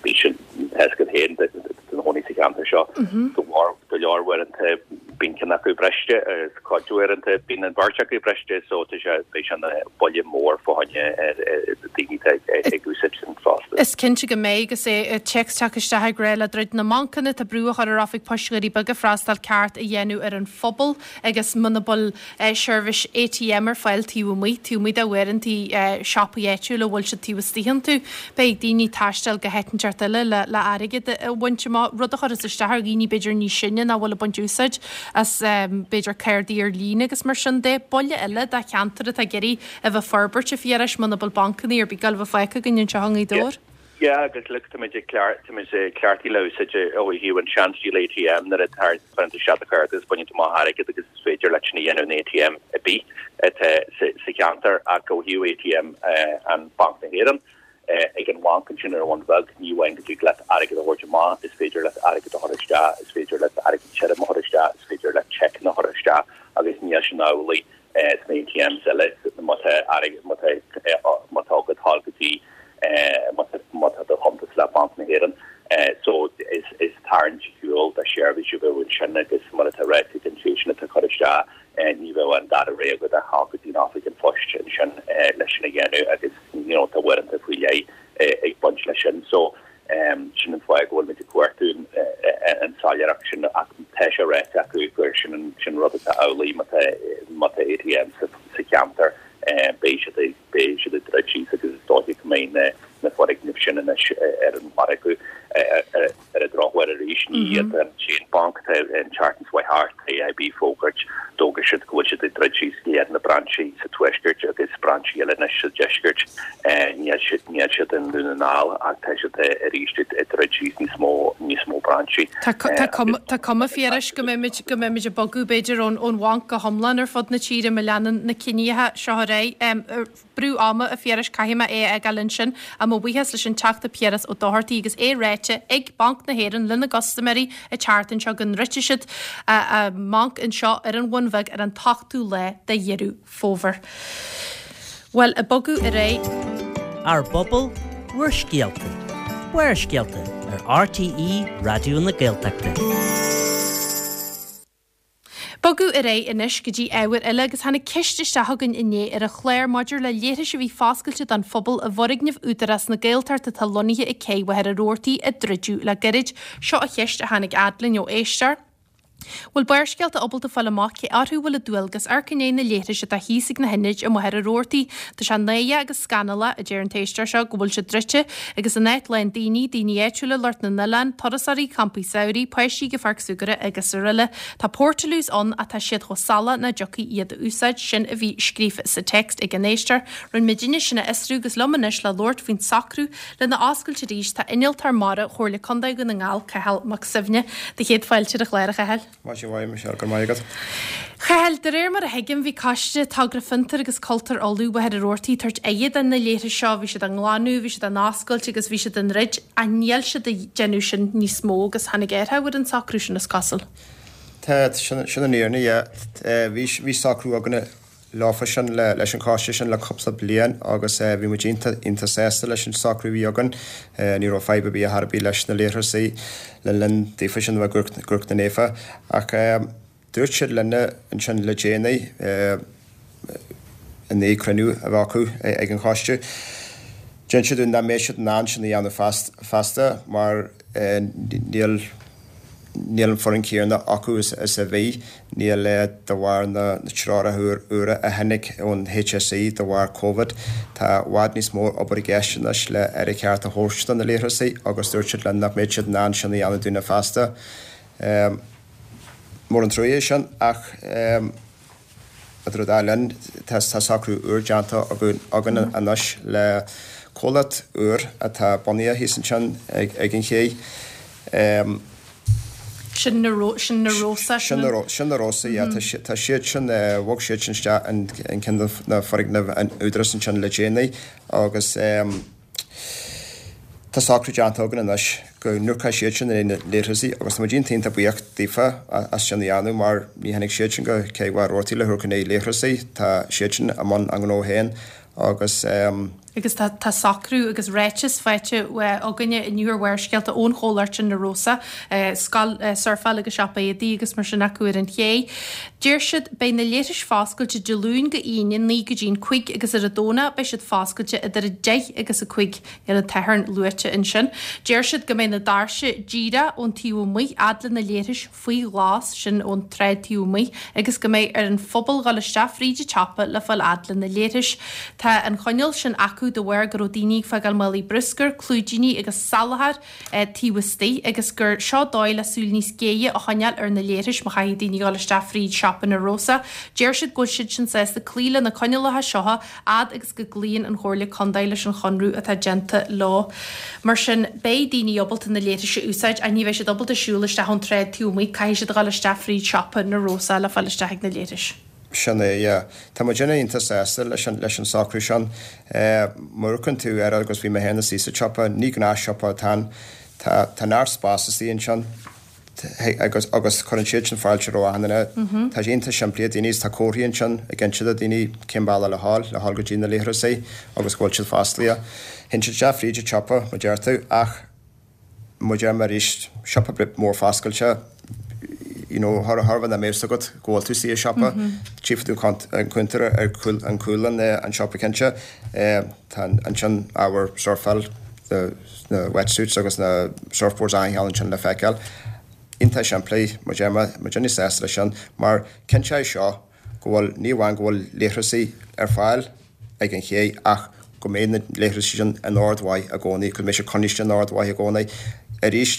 bhí sin agat féin i do chónaí sa cheantar seo go leor go leor uaireanta bíonn ceann acu briste agus cuid uaireanta bíonn an bheirt acu briste so tá sé beidh sé ina buille mór fá choinne daoine ag úsáid sin fosta. Is cinnte go mbeidh agus é téacs teacht isteach ag rá le druid na mbancanna tá brú á chur ar oifig poist Dhoirí Beaga freastal ceart a dhéanamh ar an phobal agus muna bhfuil seirbhís ATM ar fáil taobh amuigh, taobh amuigh de uaireanta siopaí áitiúla a bhfuil siad taobh istigh iontu. Beidh daoine ag taisteal go háit inteacht eile le le airgead a bhaint amach, rud a chuireas isteach ar dhaoine b'fhéidir níos sine nach bhfuil ag baint úsáid as b'fhéidir cártaí ar líne agus mar sin de. Buille eile do cheantar atá ag iarraidh a bheith ag forbairt a Phiarais muna bhfuil bancanna ar bith ag gabháil a bheith fágtha againn anseo i nGaoth Dobhair. Yeah, agus look tá muid ag clear tá muid ag cleachtaithe le úsáid ó thaobh an seanstíl ATM nuair atá cuireann tú isteach do chárta agus baineann tú amach airgead agus is féidir leat sin a dhéanamh in ATM ar bith atá sa sa cheantar ach ó thaobh ATM an Banc na hÉireann ag an bhanc ansin ar an Bhun Bheag ní amháin go dtig leat airgead a thabhairt amach, is féidir leat airgead a chur isteach, is féidir leat airgead tirim a chur isteach, is féidir leat seiceanna a chur isteach agus níl sin amhlaidh sna ATMs eile má tá airgead má tá má tá agat thall go dtí má tá má tá do chuntas le Banc na hÉireann. So is is tarraingt shiúil do sheirbhís a bheadh ansin agus mar atá ráite ag an té sin atá cur isteach ní bheadh an dara rogha agat ach dhul go dtí an oifig an phoist ansin leis sin a dhéanamh agus you know tá uaireanta faoi leith ag baint leis sin. So um, sin an fáth go bhfuil muid ag cuartú an soiléireacht sin ach tá sé ráite acu gur sin an sin rud atá amhlaidh má tá má tá ATM sa, sa cheantar beidh siad ag beidh siad ag druid síos agus is dóiche go mbeidh na na foirgnimh sin anois ar an margadh ar an drochuair arís ní hiad an t-aon banc tá an tseachtain seo thart AIB fógairt d'fhógair siad go bhfuil siad ag druid síos leath na brainsí sa tuaisceart agus brainsí eile anois sa deisceart níl siad níl siad i nDún na nGall ach tá siad arís ag druid síos níos mó níos mó brainsí. Tá cuma Phiarais go mbeimid go mbeimid ag bogadh b'fhéidir ón ón bhanc go hiomlán ar fud na tíre má leanann na cinntí seo ar aghaidh. Brú ama a Phiarais caithfidh mé é a fhágáil ansin a mo bhuíochas leis an Teachta Piaras Ó Dochartaigh agus é ráite ag Banc na hÉireann lena gcustaiméirí an tseachtain seo go ndruidfidh siad a mbanc anseo ar an Bhun Bheag ar an t-ochtú lá de Dheireadh Fómhair. Bhuel, ag bogadh ar aghaidh. Ár bpobal, bhur scéalta. Barrscéalta ar RTÉ Raidió na Gaeltachta. Bogadh ar aghaidh anois go dtí ábhar eile agus tháinig ceist isteach chugainn inné ar an chlár maidir le leithris a bhí foscailte don phobal i bhfoirgneamh Údarás na Gaeltachta atá lonnaithe ag Cé Mhachaire Rabhartaigh a druideadh le gairid. Seo an cheist a tháinig fhad linn ó éisteoir. Bhfuil Barrscéalta ábalta fáil amach cé orthu bhfuil an dualgas amharc i ndiaidh na leithris atá thíos ag na hionaid i Machaire Rabhartaigh. Tá sé náireach agus scannalach, a deir an t-éisteoir seo, go bhfuil siad druidte agus an áit lán daoine, daoine áitiúla, lucht na n-oileán, turasóirí, campaí samhraidh, páistí go pháirc súgartha agus araile. Tá portaloos ann ach tá siad chomh salach nach dtiocfaí iad a úsáid, sin a bhí scríofa sa text ag an éisteoir. Rinne muidinne sin a fhiosrú agus liom anois le labhairt faoin socrú lena oscailt arís tá Innealtóir Mara Chomhairle Contae Dhún na nGall, Cathal Mac Suibhne. Do chéad fáilte ar an chlár, a Chathail. Maise mhaith, Michelle, go raibh maith agat. Chathail, de réir mar a thuigim, bhí Coiste Togra Fiontair agus Cultúir Uladh Mhachaire Rabhartaigh ag tabhairt aghaidh do na leithris seo, bhí siad á nglanadh, bhí siad á n-oscailt agus bhí siad á ndruid, ach níl siad ag déanamh sin níos mó agus tháinig athrú ar an socrú sin, is cosúil. Tá, sin an fhírinne, yeah. Bhí, bhí socrú againne leofa sin, leis an choiste sin le cúpla bliain agus bhí muid iontach, iontach sásta leis an socrú a bhí againn. Ní raibh fadhb ar bith ar bith leis na leithreasaí le linn daofa sin a bheith i gCnoc na Naofa. Ach dúirt siad linne ansin le déanaí, i ndiaidh cruinniú a bheith acu ag an choiste, d'inis siad dúinn nach mbeidh siad in ann sin a dhéanamh feasta mar níl níl an foireann céanna acu is a bhí, níl de bharr na treoracha úra a tháinig ón HSE de bharr Covid. Tá i bhfad níos mó obair i gceist anois le aire ceart a thabhairt do na leithreasaí agus dúirt siad linn nach mbeadh siad in ann sin a dhéanamh dúinne feasta. Mór an trua é sin ach idir an dá linn tá socrú úr déanta againn anois le comhlacht úr atá bunaithe thíos ansin ag an ché. Sin na sin na Rosa sin na Rosa yeah tá siad sin bhog siad sin isteach in ceann de na foirgnimh an Údarás ansin le déanaí agus tá socrú déanta againn anois go n-amharcfaidh siad sin ar na leithreasaí agus tá muid iontach iontach buíoch daofa as sin a dhéanamh mar ní tháinig siad sin go Cé Mhaigh Rabhartaigh le hamharc ar na leithreasaí, tá siad sin i mbun a ngnó féin agus. Agus tá tá socrú agus ráiteas faighte againne inniu ar Bharrscéalta ón chomhlacht sin Na Rosa, scoil surfáil agus siopa éadaí agus mar sin acu ar an ché. Deir siad beidh na leithris foscailte Dé Luain go hAoine naoi go dtí'n cúig agus ar an Domhnach beidh siad foscailte idir a deich agus a cúig, níl an tSatharn luaite ansin. Deir siad go mbeidh na doirse díreach ón taobh amuigh fhad le na leithris faoi ghlas, sin ón tsráid taobh amuigh, agus go mbeidh ar an phobal dhul isteach fríd an tsiopa le fáil fhad le na leithris. Tá an choinneáil sin acu de bharr go raibh daoine ag fágáil málaí bruscair, clúidíní agus salachar taobh istigh agus gur seo dóigh le súil níos géire a choinneáil ar na leithris má chaithfidh daoine dhul isteach fríd siopa na Rosa. Deir siad go bhfuil siad sin sásta cloí le na coinníollacha seo fhad agus go gcloíonn an Chomhairle Contae leis an chonradh atá déanta leo. Mar sin, beidh daoine ábalta na leithris a úsáid ach ní bheidh siad ábalta siúl isteach ón tsráid taobh amuigh, caithfidh siad a dhul isteach fríd siopa na Rosa le fáil isteach ag na leithris. Sin é, yeah. Tá muidinne iontach sásta leis an, leis an socrú sin. Má amharcann tú air agus bhí mé féin istigh sa tsiopa, ní gnáthshiopa atá ann. Tá, tá neart spás istigh ansin agus, agus cuireann siad sin fáilte roimh achan duine. Tá sé iontach simplí do daoine is tá comharthaí ansin ag inse do daoine cén bealach le dhul, le dhul go dtí na leithreasaí agus go bhfuil siad fosclaithe. Théann siad isteach fríd an tsiopa, mar deir tú, ach mar deir mé arís, siopa mór foscailte, you know, chóir a bheith nach mbeadh fhios agat go bhfuil tú istigh i siopa, tchífidh tú an cuntar ar chúl an cúl an an siopa cinnte. Tá ansin ábhar surfáil, na wetsuits agus na surfboards achan cheann ansin le feiceáil. Iontach simplí, mar deir mé, muidinne sásta leis sin, mar cinnteoidh seo go bhfuil, ní amháin go bhfuil leithreasaí ar fáil ag an ché ach go mbeidh na leithreasaí sin in ord mhaith i gcónaí, go mbeidh siad coinnithe in ord mhaith i gcónaí. Arís,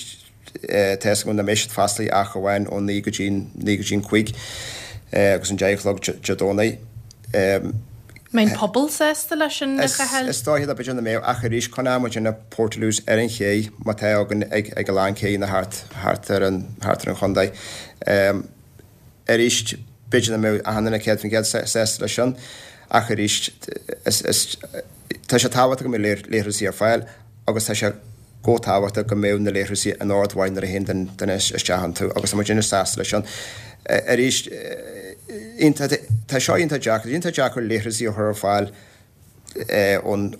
tá fhios agam nach mbeidh siad fosclaithe ach amháin ó naoi go dtí naoi go dtí an cúig agus an deich a chlog Dé Domhnaigh. Mbeidh an pobal sásta leis sin, a Chathail? Is dóiche b'fhéidir nach mbeadh ach arís coinneoidh muid na portaloos ar an ché mar atá againn ag ag a lán céanna thart thart ar an thart ar an chontae. Arís b'fhéidir nach mbeadh achan duine céad faoin gcéad sásta leis sin ach arís is is tá sé tábhachtach go mbeadh leithreasaí ar fáil agus tá sé chomh tábhachtach go mbeadh na leithreasaí in ord mhaith nuair a théann duine isteach iontu agus tá muidinne sásta leis sin. Arís, tá seo iontach deacair, iontach deacair leithreasaí a chur ar fáil ón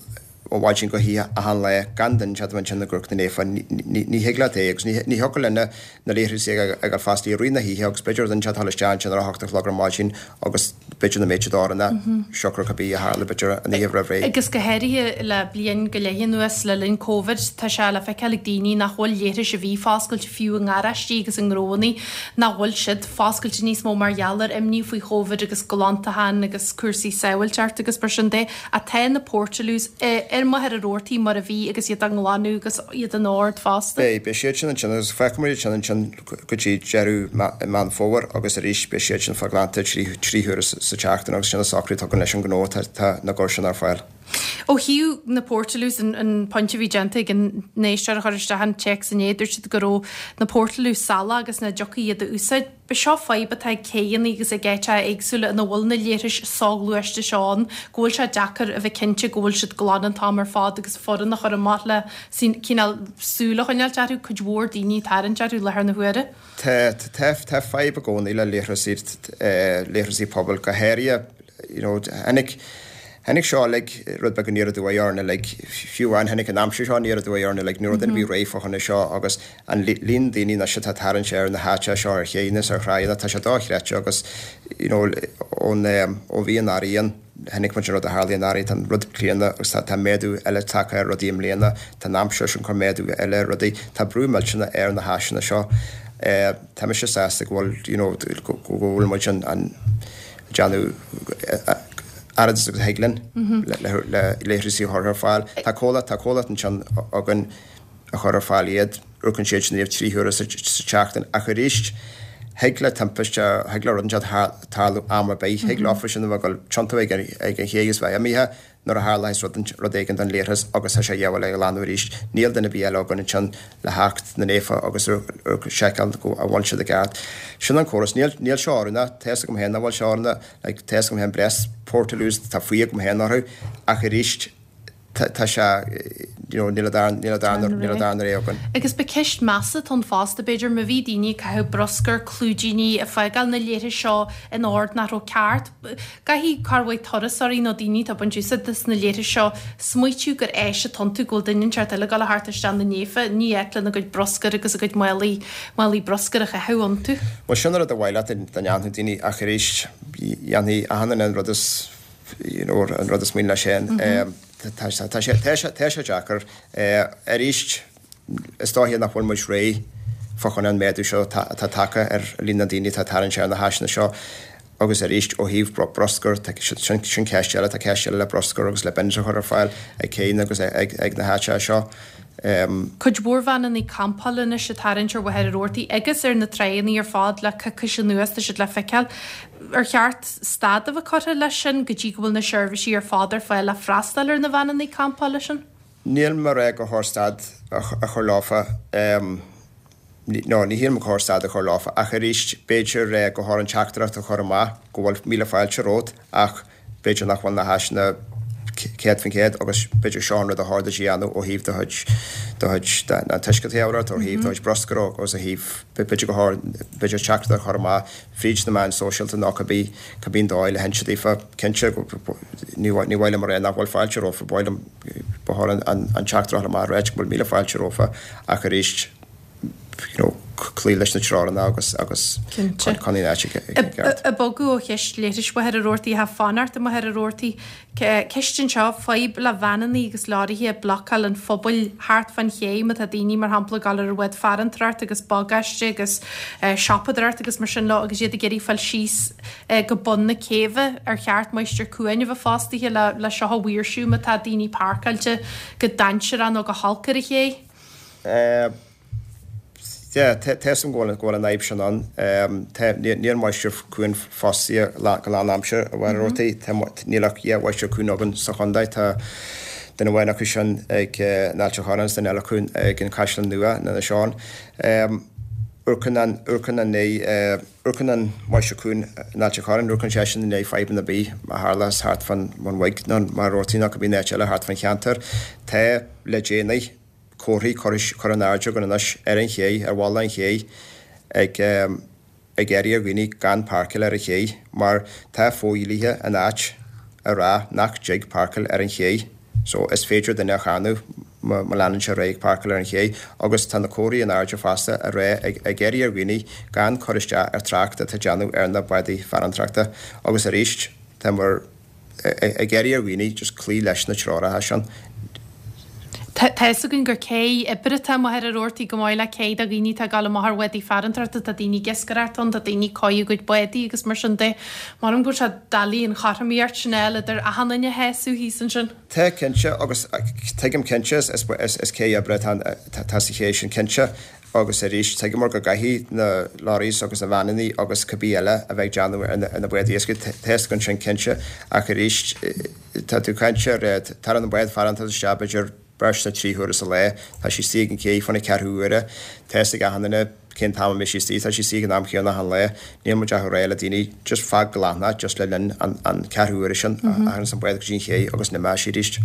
mhaidin go hoíche achan lá gan duine inteacht ansin ag amharc ina dhiaidh. Ní thig leat é agus ní thiocfadh linn na leithreasaí a fhágáil fosclaithe i rith na hoíche agus b'fhéidir duine inteacht a dhul isteach ansin ar a hocht a chlog ar maidin agus b'fhéidir nach mbeadh siad oiriúnach siocair cibé a tharla b'fhéidir an oíche roimh ré. Agus go háirithe le bliain go leith anuas, le linn Covid, tá sé le feiceáil ag daoine nach bhfuil leithris a bhí foscailte fiú i ngaráistí agus i ngnóanna, nach bhfuil siad foscailte níos mó mar gheall ar imní faoi Chovid agus glantachán agus cúrsaí sábháilteachta agus mar sin de. Ach tá na portaloos ar Mhachaire Rabhartaigh mar a bhí agus iad á nglanadh agus iad in ord fosta. Beidh, beidh siad sin ansin agus feicfidh muid iad sin ansin go dtí deireadh Meán Fómhair agus arís beidh siad sin fá glanta trí trí huaire sa tseachtain agus sin an socrú atá againn leis an ngnó tá na gcur sin ar fáil. Ó thaobh na portaloos, an pointe a bhí déanta ag an éisteoir a chuir isteach an téacs inné, dúirt siad go raibh na portaloos salach agus nach dtiocfaí iad a úsáid. B'seo fadhb atá ag céanna agus ag áiteacha éagsúla ina bhfuil na leithris soghluaiste seo ann, go bhfuil sé deacair a bheith cinnte go bhfuil siad glan an t-am ar fad agus foireann a chur amach le cineál súil a choinneáilt orthu, cuid mhór daoine ag tarraingt orthu i láthair na huaire. Tá, tá, tá fadhb i gcónaí le leithreasaí, leithreasaí pobail, go háirithe you know, tháinig, tháinig seo uilig rud beag aniar aduaidh orainn uilig, fiú amháin tháinig an aimsir seo aniar aduaidh orainn uilig, ní raibh duine ar bith réidh fá choinne seo agus an líon daoine anois atá ag tarraingt ar na háiteacha seo ar chéanna is ar thráigheanna, tá sé dochreidte agus you know, ón, ó mhí an Earraigh ann. Chonaic muid an rud a tharlaigh anuraidh, tá an rud críonna agus tá méadú eile tagtha ar rudaí i mbliana, tá an aimsir sin ag cur méadú eile ar rudaí, tá brú millteanach ar na háiseanna seo. Tá mise sásta go bhfuil, you know, go bhfuil muid an déanamh oiread is agus a thig linn le leithreasaí a chur ar fáil. Tá comhlacht, tá comhlacht ansin againn a chur ar fáil iad, amharcann siad sin iad trí huaire sa tseachtain ach arís thig le timpiste, thig le rud inteacht tarlú am ar bith, thig leofa sin a bheith ag dul tiontú ag an ché agus bheith imithe nuair a tharlaíos rud, rud éigin don leithreas agus tá sé a dhíobháil a ghlanadh arís. Níl duine ar bith eile againn ansin le theacht na naofa agus seiceáil go bhfuil siad i gceart. Sin an córas. Níl, níl seo oiriúnach, tá fhios agam féin nach bhfuil seo oiriúnach, like, tá fhios agam féin breis portaloos, tá fuath agam féin orthu ach arís tá sé, you know, níl a darna, níl a darna, níl a darna rogha againn. Agus ba ceist measa atá ann fosta, b'fhéidir, má bhí daoine ag caitheamh bruscar, clúidíní, ag fágáil na leithris seo in ord nach raibh ceart, caithfidh cuid mhaith turasóirí nó daoine atá ag baint úsáid des na leithris seo smaoitiú gur áis atá iontu, go bhfuil duine inteacht eile ag dul thart isteach na naofa, ní áit lena gcuid bruscair agus a gcuid málaí, málaí bruscair a chaitheamh iontu. Bhuel, sin an rud a ba mhaith leat dá ndéanfadh daoine ach arís, dhéanfaidh achan duine an rud is, you know, an rud is mian leis féin. Tá sé, tá sé, tá sé deacair. Arís, is dóiche nach bhfuil muid réidh fá choinne an méadú seo atá tagtha ar líon na ndaoine atá ag tarraingt ar na háiseanna seo. Agus arís, ó thaobh bruscair, sin, sin ceist eile, tá ceist eile le bruscar agus le bins a chur ar fáil ag céanna agus ag, ag na háiteacha seo. Cuid mhór veaineanna campála anois ag tarraingt ar Mhachaire Rabhartaigh agus ar na tránna ar fad le coicís anuas, tá siad le feiceáil. Ar cheart stad a bheith curtha leis sin go dtí go bhfuil na seirbhísí ar fad ar fáil le freastal ar na veaineanna campála sin? Níl mé ag rá gur chóir stad a chur leofa. No, ní shílim gur chóir stad a chur leofa ach arís b'fhéidir gur chóir an teachtaireacht a chur amach go bhfuil míle fáilte romhat ach b'fhéidir nach bhfuil na háiseanna céad faoin gcéad agus b'fhéidir seo an rud a chóir duit a dhéanamh ó thaobh do chuid, do chuid, an t-uisce a fháil ort, ó thaobh do chuid bruscair agus ó thaobh, b'fhéidir gur chóir, b'fhéidir teachtaireacht a chur amach fríd na meáin sóisialta nó cibé, cibé an dóigh le hinse daofa, cinnte, ní, ní mhaith liom a rá nach bhfuil fáilte rompu, ba mhaith liom, ba chóir an, an, an teachtaireacht a chur amach a ráit go bhfuil míle fáilte rompu ach arís, you know, cloí leis na treoranna agus agus coinnigh an áit i gceart. Ag bogadh ó cheist leithris Mhachaire Rabhartaigh atá fanacht i Machaire Rabhartaigh, ceist anseo, fadhb le veaineanna agus leoraithe ag blocáil an phobail thart fán ché má tá daoine mar shampla ag dul ar an bhád farantóireacht agus bagáiste agus siopadóireacht agus mar sin leo agus iad ag iarraidh fáil síos go bun na céibhe ar cheart máistir cuain a bheith fostaithe le seo a mhaoirsiú má tá daoine páirceáilte go dainséarach nó go holc ar an ché? Yeah, tá fhios agam go bhfuil go bhfuil an fhadhb sin ann. Tá, níl máistir cuain fostaithe go lánaimseartha i Machaire Rabhartaigh. Tá, níl ach dhá mháistir cuain againn sa chontae. Tá duine amháin acu sin ag in Ailt an Chorráin agus duine eile acu ag an Caisleán Nua in Inis Eoghain. Amharcann an, amharcann an, amharcann an máistir cuain in Ailt an Chorráin, amharcann seisean i ndiaidh fadhbanna ar bith a tharlós thart fán Mhaigh nó Machaire Rabhartaigh nó cibé áit eile thart fán cheantar. Tá le déanaí. comharthaí curtha in airde againn anois ar an ché, ar bhalla an ché, ag ag iarraidh ar dhaoine gan páirceáil ar an ché mar tá fodhlíthe in áit a rá nach dtig páirceáil ar an ché so is féidir duine a cháineadh má leanann sé ar aghaidh ag páirceáil ar an ché agus tá na comharthaí in airde fosta a rá ag ag iarraidh ar dhaoine gan cur isteach ar trácht atá ag déanamh ar na bádaí farantóireachta agus arís tá mar ag iarraidh ar dhaoine just cloí leis na treoracha sin. Tá fhios againn gur cé oibre atá i Machaire Rabhartaigh chomh maith le cé do dhaoine atá ag dul amach ar bhádaí farantóireachta, tá daoine ag iascaireacht ann, tá daoine ag cóiriú a gcuid bádaí agus mar sin de. Measaim go bhfuil sé doiligh an chothromaíocht sin a fháil idir achan duine a shásamh thíos ansin. Tá, cinnte, agus tuigim cinnte, is cé oibre atá sa ché sin cinnte. Agus arís, tuigeamar go gcaithfidh na lorries agus na veaineanna agus cibé eile a bheith ag déanamh ar na báid iascaigh, tá fhios againn sin cinnte, ach arís, tá tú ag caint ar, tagann an bád farantóireachta isteach b'fhéidir beirt nó trí huaire sa lá, tá sí istigh ag an cé fá na ceathrú uaire, tá fhios ag achan duine cén t-am a mbeidh sí istigh, tá sí istigh ag an am chéanna achan lá, níl muid ach ag rá le daoine just fág glan é just le linn an an ceathrú uaire sin a thaganns an bád go dtí an ché agus an imeoidh sí arís.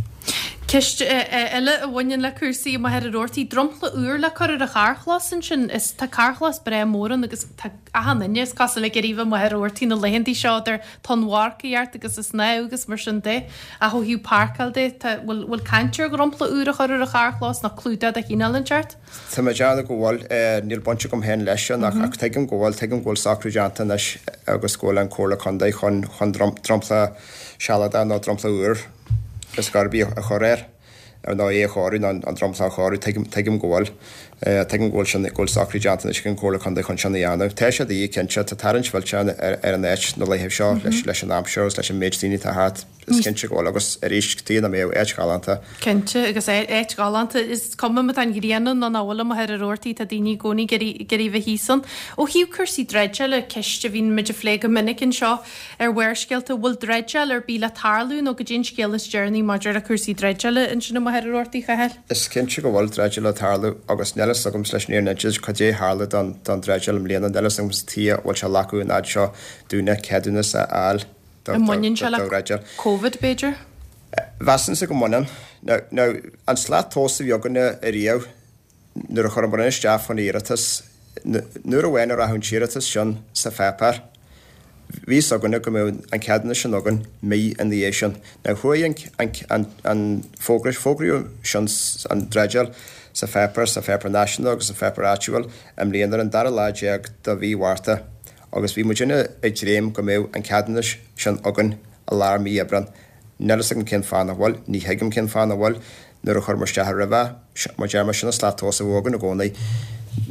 Ceist eile a bhaineann le cúrsaí i Machaire Rabhartaigh, dromchla úr le cur ar an charrchlós ansin. Is tá carrchlós breá mór ann agus tá achan duine, is cosúil, ag iarraidh a bheith i Machaire Rabhartaigh na laethanta seo idir tonnmharcaíocht agus an snámh agus mar sin de. Ach ó thaobh páirceáil de, tá, bhfuil, bhfuil caint ar dhromchla úr a chur ar an charrchlós nó clúdach de chineál inteacht? Tá mé ag déanamh go bhfuil, níl baint agam féin leis sin ach, ach tuigim go bhfuil, tuigim go bhfuil socrú déanta anois agus go bhfuil an Comhairle Contae chun chun dromchla sealadach nó dromchla úr is garbí a chur air ar nó é a chóiriú an an dromchla a chóiriú tuigim tuigim go bhfuil tuigim go bhfuil sin go bhfuil socrú déanta anois ag an Comhairle Contae chun sin a dhéanamh. Tá sé de dhíth cinnte tá tarraingt mhillteach ar ar an áit na laethe seo leis leis an aimsir agus leis an méid daoine atá thart is cinnte go bhfuil agus arís tuigim nach mbeadh áit ghalánta. Cinnte agus áit ghalánta is cuma má tá an ghrian ann nó nach bhfuil amuigh ar an Rabhartaigh tá daoine i gcónaí ag iarraidh bheith thíos ann. Ó thaobh cúrsaí dreideála ceist a bhíonn muid a phlé go minic anseo ar Bharrscéalta, bhfuil dreideáil ar bith le tarlú nó goidé an scéal is deireanaí maidir le cúrsaí dreideála ansin amuigh ar an Rabhartaigh, a Chathail? Is cinnte go bhfuil dreideáil le tarlú agus níl a fhios agam leis an fhírinne cad é tharla don don dreideáil i mbliana, níl a fhios agam tuige a bhfuil sé leathadh an fhad seo dúinne ceadúnas a fháil do An mbaineann sé do le dhreideáil. Covid b'fhéidir? Mheasainnse go mbaineann. Now now an slat tomhais a bhí againne ariamh nuair a chuireamar isteach chun iarratas, nuair amháin a rachadh an t-iarratas sin sa pháipéar, bhí fhios againne go mbeadh an ceadúnas sin againn mí ina dhiaidh sin. Now chuaigh an an an an fógra fógraíodh sin an dreideáil sa pháipéar, sa pháipéar náisiúnta agus sa pháipéar áitiúil i mbliana ar an dara lá déag de mhí Mhárta agus bhí muidinne ag dréim go mbeadh an ceadúnas sin againn i lár mí Aibreán. Níl fhios agam cén fáth nach bhfuil, ní thuigim cén fáth nach bhfuil, nuair a chuireamar isteach roimhe, mar deir mé, sin an slat tomhais a bheadh againn i gcónaí,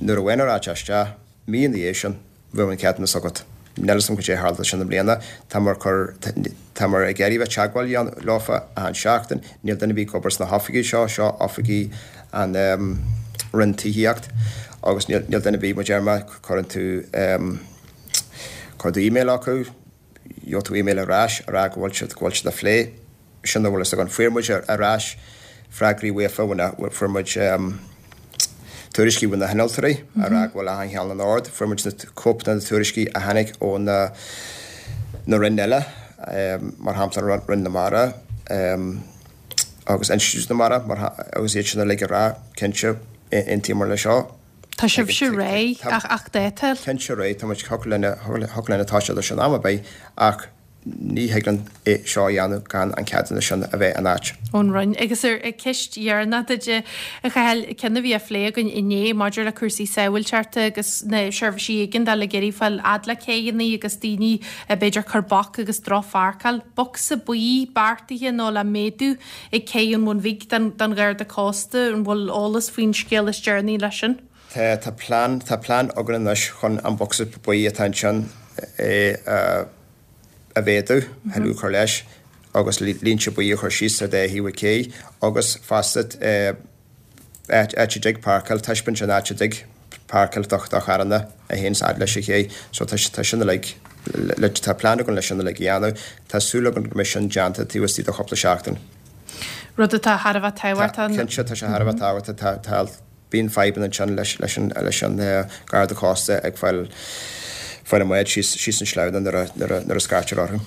nuair amháin a rachadh sé isteach, mí ina dhiaidh sin, bheadh an ceadúnas agat. Níl fhios agam cad é a tharla sin i mbliana, táimar cur, táimar ag iarraidh bheith teagmháil a dhéanamh leofa achan seachtain, níl duine ar bith ag obair sna hoifigí seo, seo oifigí an Roinn Tithíocht agus níl, níl duine ar bith, mar deir mé, cuireann tú, cuireann tú email acu, gheobhaidh tú email ar ais a rá go bhfuil siad, go bhfuil siad á phlé. Sin a bhfuil fhios againn. Fuair muid ar ais freagraí uafa, fuair muid tuairiscí ó na hinnealtóirí a rá go bhfuil achan cheann in ord. Fuair muid na cóipeanna de na tuairiscí a tháinig ó na na roinn eile, mar shampla Roinn na Mara agus Institiúid na Mara agus iad sin uilig ag rá, cinnte, aontaíomar leis seo. Tá sibhse réidh ach ach dáta. Cinnte réidh, tá muid thiocfadh linn thiocfadh linn toiseacht leis an am ar bith ach ní thig linn é seo a dhéanamh gan an ceadúnas sin a bheith in áit. ón Roinn. Agus ar ceist dheireanach duit, a Chathail, ceann a bhí á phlé againn inné maidir le cúrsaí sábháilteachta agus na seirbhísí éigeandála ag iarraidh fáil fhad le céidheanna agus daoine b'fhéidir cur bac agus drochpháirceáil. Bocsa buí beartaithe nó le méadú ag Cé an Bhun Bhig don Gharda Cósta, an bhfuil eolas faoin scéal is deireanaí leis sin? Tá, tá plean, tá plean againn anois chun an bocsa buí atá ansin a a mhéadú, tuilleadh a chur leis agus línte buí a chur síos ar dá thaobh an ché agus fosta áit a dtig páirceáil, taispeáint an áit a dtig páirceáil do do charranna a théann fhad leis an ché. So tá tá sin uilig, tá plean againn leis sin uilig a dhéanamh. Tá súil againn go mbeidh sin déanta taobh istigh de chúpla seachtain. Rud atá thar a bheith tábhachtach. Cinnte, tá sé thar a bheith tábhachtach. Tá tá Bíonn fadhbanna ansin leis leis an leis an Garda Cósta ag fáil fáil a mbáid síos síos an sleamhnán nuair a nuair a nuair a scairtear orthu.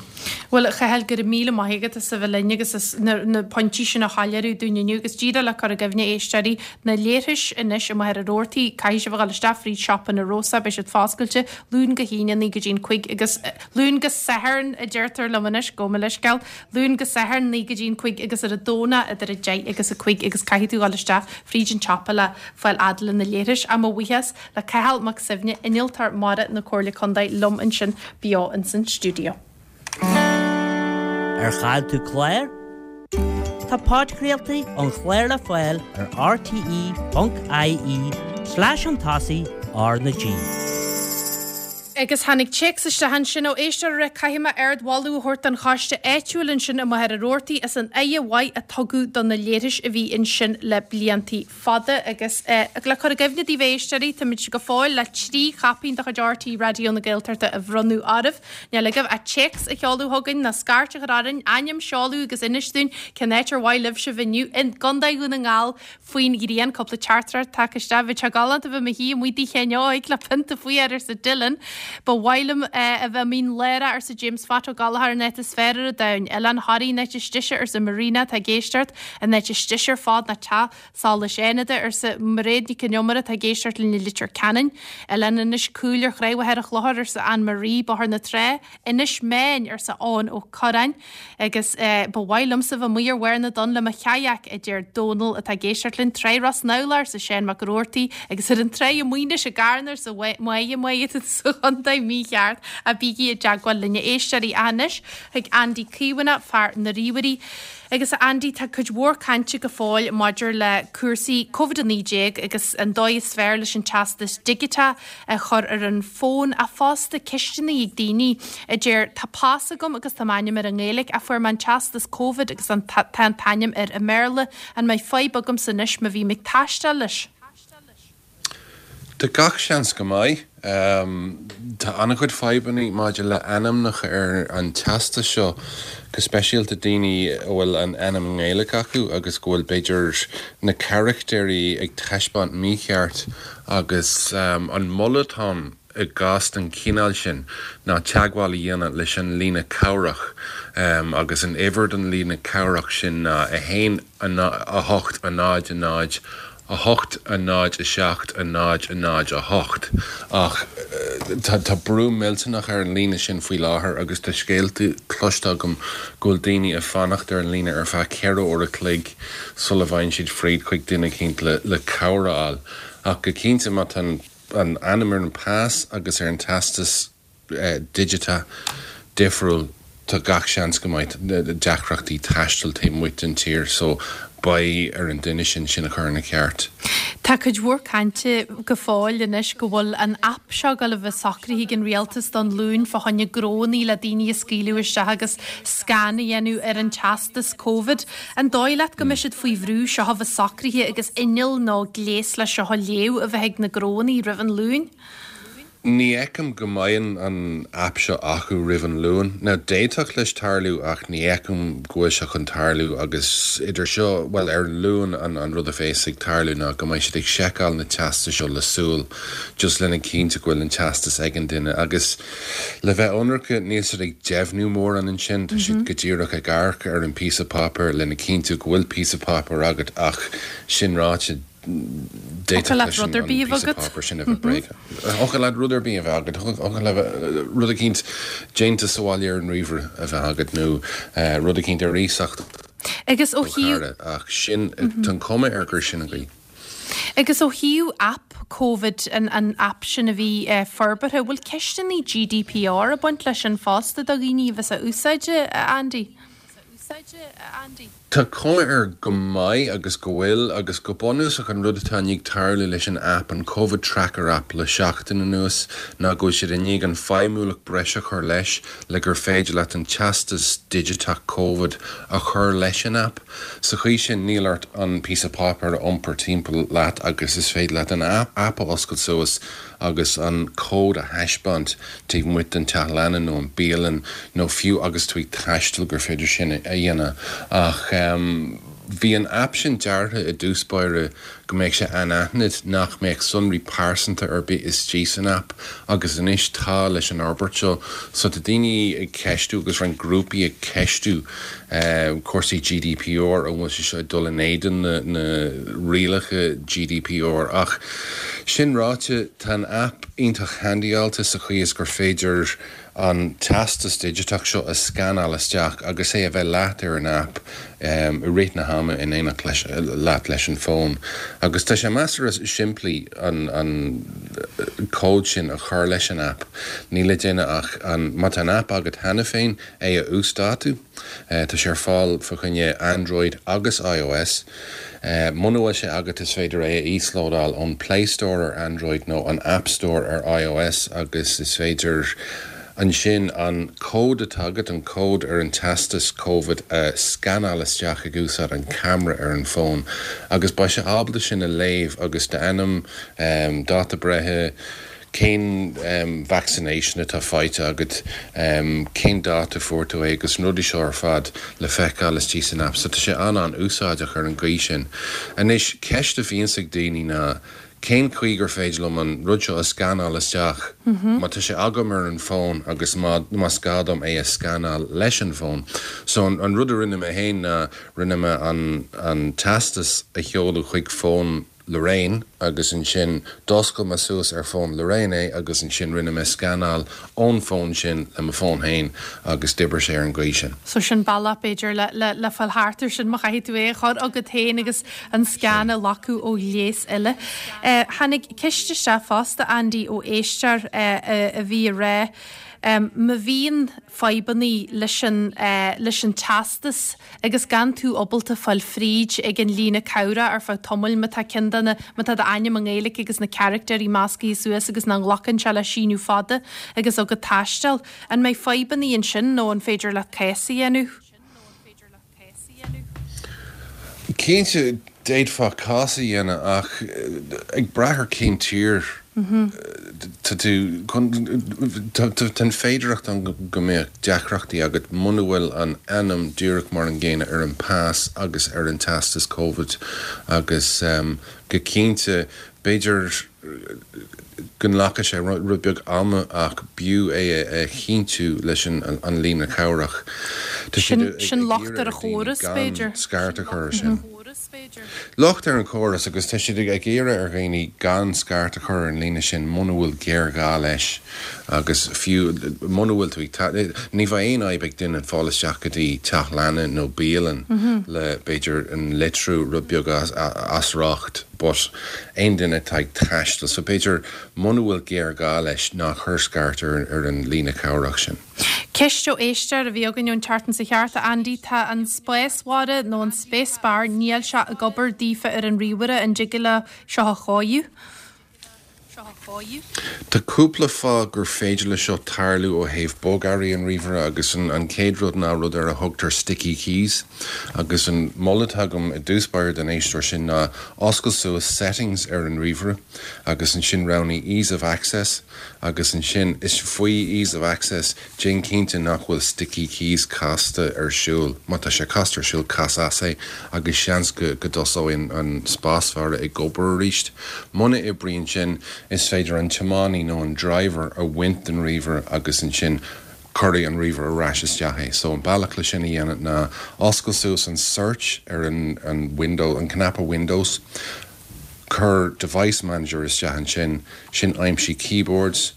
Bhuel, a Chathail, go raibh míle maith agat as a bheith linn agus as na na pointí sin a shoiléiriú dúinn inniu agus díreach le cur i gcuimhne éisteoirí na leithris anois amuigh ar an Rabhartaigh, caithfidh sibh a dhul isteach fríd Siopa na Rosa, beidh siad foscailte Luan go hAoine naoi go dtí'n cúig agus Luan go Satharn a deirtear liom anois, gabh mo leithscéal, Luan go Satharn naoi go dtí'n cúig agus ar an Domhnach idir a deich agus a cúig agus caithfidh tú dhul isteach fríd an tsiopa le fáil fhad le na leithris. Ach mo bhuíochas le Cathal Mac Suibhne, Innealtóir Mara na Comhairle Contae liom ansin beo ins an stiúideo. Ar chaill tú clár? Tá podchraoltaí an chláir le fáil ar rte ponc ie slash an tosaigh R na G. Agus tháinig téacs isteach ansin ó éisteoir a rá caithfidh mé ardmholadh a thabhairt don choiste áitiúil ansin i Machaire Rabhartaigh as an aire mhaith a tugadh do na leithris a bhí ansin le bliantaí fada. Agus le cur i gcuimhne daoibh a éisteoirí, táimid go fóill le trí chaipín de chuid RTÉ Raidió na Gaeltachta a bhronnadh oraibh. Níl agaibh ach téacs a sheoladh chugainn ná scairt a chur orainn, ainm, seoladh agus inis dúinn cén áit ar mhaith libh sibh inniu i gContae Dhún na nGall faoin ghrian. Cúpla teachtaireacht tagtha isteach. Bheadh sé galánta bheith i mo shuí amuigh i dTigh Sheáin Óig le pionta faoi air, arsa Dylan. Ba mhaith liom a bheith i Mín Lárach, arsa James Phat Ó Gallchóir, an áit is fearr ar an domhan. Oileán Thoraí an áit is deise, arsa Marina, atá ag éisteacht. An áit is deise ar fad ná Teach Solais Fhánada, arsa Mairéad Nic an Iomaire, atá ag éisteacht linn i Leitir Ceanainn. Oileán Inis Caoil ar Thráigh Mhachaire Chlochair, arsa Anne Marie, Bóthar na Trá. Inis Meáin, arsa Eoin Ó Corráin. Agus ba mhaith liomsa bheith amuigh ar bharr na dtonn le mo chayak, a deir Dónal, atá ag éisteacht linn. Tráigh Ros Namhla, arsa Seán Mac Roarty, agus ar an tráigh i Maínis i gCarna, arsa Máire, Máire, atá sa chontae. chontae mícheart a bígí i dteagmháil linn a éisteoirí anois chuig Andy Caomhánach, fear na ríomhairí. Agus a Andy tá cuid mhór cainte go fóill maidir le cúrsaí Covid a naoi déag agus an dóigh is fearr leis an teastas digiteach a chur ar an bhfón ach fosta ceisteanna ag daoine a deir tá pas agam agus tá m'ainm air i nGaeilge ach fuair mé an teastas Covid agus an tá an t-ainm air i mBéarla, an mbeidh fadhb agamsa anois má bhím ag taisteal leis? Tá gach seans go mbeidh. Tá an-chuid fadhbanna maidir le ainmneacha ar an teastas seo, go speisialta daoine a bhfuil an ainm i nGaeilge acu agus go bhfuil b'fhéidir na carachtéirí ag taispeáint mícheart agus an moladh atá ann i gcás den chineál sin ná teagmháil a dhéanamh leis an líne cabhrach agus an uimhir don líne cabhrach sin ná a haon a hocht a náid a náid a hocht a náid a seacht a náid a náid a hocht ach tá tá brú millteanach ar an líne sin faoi láthair agus tá scéalta cloiste agam go bhfuil daoine ag fanacht ar an líne ar feadh ceithre uair a chloig sula bhfaigheann siad fríd chuig duine eicínt le le cabhair a fháil ach go cinnte má tá an an ainm ar an pas agus ar an teastas digiteach difriúil tá gach seans go mbeidh deacrachtaí taistil taobh amuigh den tír so beidh ar an duine sin sin a chur ina cheart. Tá cuid mhór cainte go fóill anois go bhfuil an aip seo ag dul a bheith socraithe ag an rialtas don Luan fá choinne gnónnaí le daoine a scaoileadh isteach agus scan a dhéanamh ar an teastas Covid. An dóigh leat go mbeidh siad faoi bhrú seo a bheith socraithe agus inneall nó gléas le seo a léamh a bheith ag na gnónnaí roimh an Luan? Ní fheicim go mbeidh an aip seo acu roimh an Luan. Now d'fhéadfadh leis tarlú ach ní fheicim go bhfuil sé chun tarlú agus idir seo, bhuel ar an Luan an an rud a bheas ag tarlú ná go mbeidh siad ag seiceáil na teastais seo le súil just lena cinntiú go bhfuil an teastas ag an duine agus le bheith ionraic níl siad ag deimhniú mórán ansin, tá siad go díreach ag amharc ar an píosa páipéir lena cinntiú go bhfuil píosa páipéir agat ach sin ráite Thiocfadh leat rud ar bith a bheith agat. Páipéar sin a bheith bréagach. Thiocfadh leat rud ar bith a bheith agat, thiocfadh leat rud eicínt déanta sa bhaile ar an ríomhaire a bheith agat nó rud eicínt ar iasacht Agus ó ó chara ach sin, tá an chuma air gur sin an gcaoi. Agus ó thaobh aip Covid, an an aip sin a bhí forbartha, bhfuil ceisteanna GDPR ag baint leis sin fosta do dhaoine a bheas á úsáid, a Andy? Tá cuma air go mbeidh agus go bhfuil, agus go bunúsach an rud atá i ndiaidh tarlú leis an aip, an Covid Tracker app, le seachtain anuas ná go bhfuil siad i ndiaidh an feidhmiúlacht breise a chur leis le gur féidir leat an teastas digiteach Covid a chur leis an aip. Sa chaoi sin níl ort an píosa páipéir a iompar timpeall leat agus is féidir leat an aip a oscailt suas agus an cód a thaispeáint taobh amuigh den teach leanna nó an bialann nó fiú agus tú ag taisteal gur féidir sin a dhéanamh. Ach bhí an aip sin deartha i dtús báire go mbeadh sé anaithnid, nach mbeadh sonraí pearsanta ar bith istigh san aip agus anois tá leis an fhorbairt seo. So tá daoine ag ceistiú agus roinnt grúpaí ag ceistiú cúrsaí GDPR, an bhfuil sé seo ag dul in éadan na rialacha GDPR? Ach sin ráite, tá an aip iontach handyáilte sa chaoi is gur féidir an teastas digiteach seo a scanáil isteach agus é a bheith leat ar an aip i rith na hama in éineacht leis leat leis an bhfón. Agus tá sé measartha simplí an an cód sin a chur leis an aip. Níl le déanamh ach an má tá an aip agat cheana féin, é a uasdátú. Tá sé ar fáil fá choinne Android agus iOS. Muna bhfuil sé agat is féidir é a íoslódáil ón Play Store ar Android nó an App Store ar iOS agus is féidir ansin an cód atá agat, an cód ar an teastas Covid, a scanáil isteach ag úsáid an camera ar an bhfón agus beidh sé ábalta sin a léamh agus d'ainm, dáta breithe, cén vaccination atá faighte agat, cén dáta a fuair tú é agus na rudaí seo ar fad le feiceáil istigh san aip. So tá sé an-an-úsáideach ar an gcaoi sin. Anois, ceist a bhíonns ag daoine ná cén chaoi gur féidir liom an rud seo a scanáil isteach má tá sé agam ar an bhfón agus má más gá dom é a scanáil leis an bhfón. So an rud a rinne mé féin ná rinne mé an an teastas a sheoladh chuig fón Lorraine agus ansin d'oscail mé suas ar fón Lorraine é agus ansin rinne mé scanáil ón fón sin le mo fón féin agus d'oibrigh sé ar an gcaoi sin. So sin bealach b'fhéidir le le le fáil thart ar sin má chaithfidh tú é a chur agat féin agus an scan a ghlacadh ó ghléas eile. Tháinig ceist isteach fosta, Andy, ó éisteoir a bhí ag rá má bhíonn fadhbannaí leis an leis an teastas agus gan tú ábalta fáil fríd ag an líne cabhrach ar feadh tamaill má tá ceann de na má tá d'ainm i nGaeilge agus na carachtéirí meascaithe suas agus nach nglacann sé le síniú fada agus agat taisteal, an mbeidh fadhbannaí ansin nó an féidir leat cás a dhéanamh? Cinnte, d'fhéadfá cás a dhéanamh ach ag brath ar cén tír tá tú, tá an féidearthacht ann go mbeadh deacrachtaí agat muna bhfuil an ainm díreach mar an gcéanna ar an pas agus ar an teastas Covid agus go cinnte b'fhéidir go nglacfaidh sé rud beag ama ach b'fhiú é a chinntiú leis an líne chabhrach. Tá siad ag Sin locht iarraidh ar ar an dhaoine chóras, gan b'fhéidir. scairt a chur ar sin. Locht ar an chóras agus tá siad ag iarraidh ar dhaoine gan scairt a chur ar an líne sin muna bhfuil géarghá leis agus fiú muna bhfuil tú ag ní bheidh aon fhadhb ag duine fáil isteach go dtí teach leanna nó bialann le b'fhéidir an litriú rud beag as riocht but aon duine atá ag taisteal so b'fhéidir muna bhfuil géarghá leis ná cuir scairt ar ar an líne cabhrach sin. Ceist ó éisteoir a bhí againn ón tseachtain seo chuaigh thart, a Andy, tá an spásbharra nó an space bar, níl sé ag obair daofa ar an ríomhaire, an dtig leo seo a chóiriú? Tá cúpla fáth gur féidir le seo tarlú ó thaobh bogearraí an ríomhaire agus an an chéad rud ná rud ar a thugtar sticky keys agus an moladh atá agam i dtús báire don éisteoir sin ná oscail suas settings ar an ríomhaire agus ansin roghnaigh ease of access agus ansin is faoi ease of access déan cinnte nach bhfuil sticky keys casta ar siúl. Má tá sé casta ar siúl cas as é agus seans go go dtosóidh an spásbharra ag obair arís. Muna oibríonn sin is féidir an tiománaí nó an driver a bhaint den ríomhaire agus ansin cuirfidh an ríomhaire ar ais isteach é. So an bealach le sin a dhéanamh ná oscail suas an search ar an an window an cnaipe Windows, cuir device manager isteach ansin, sin aimsigh keyboards,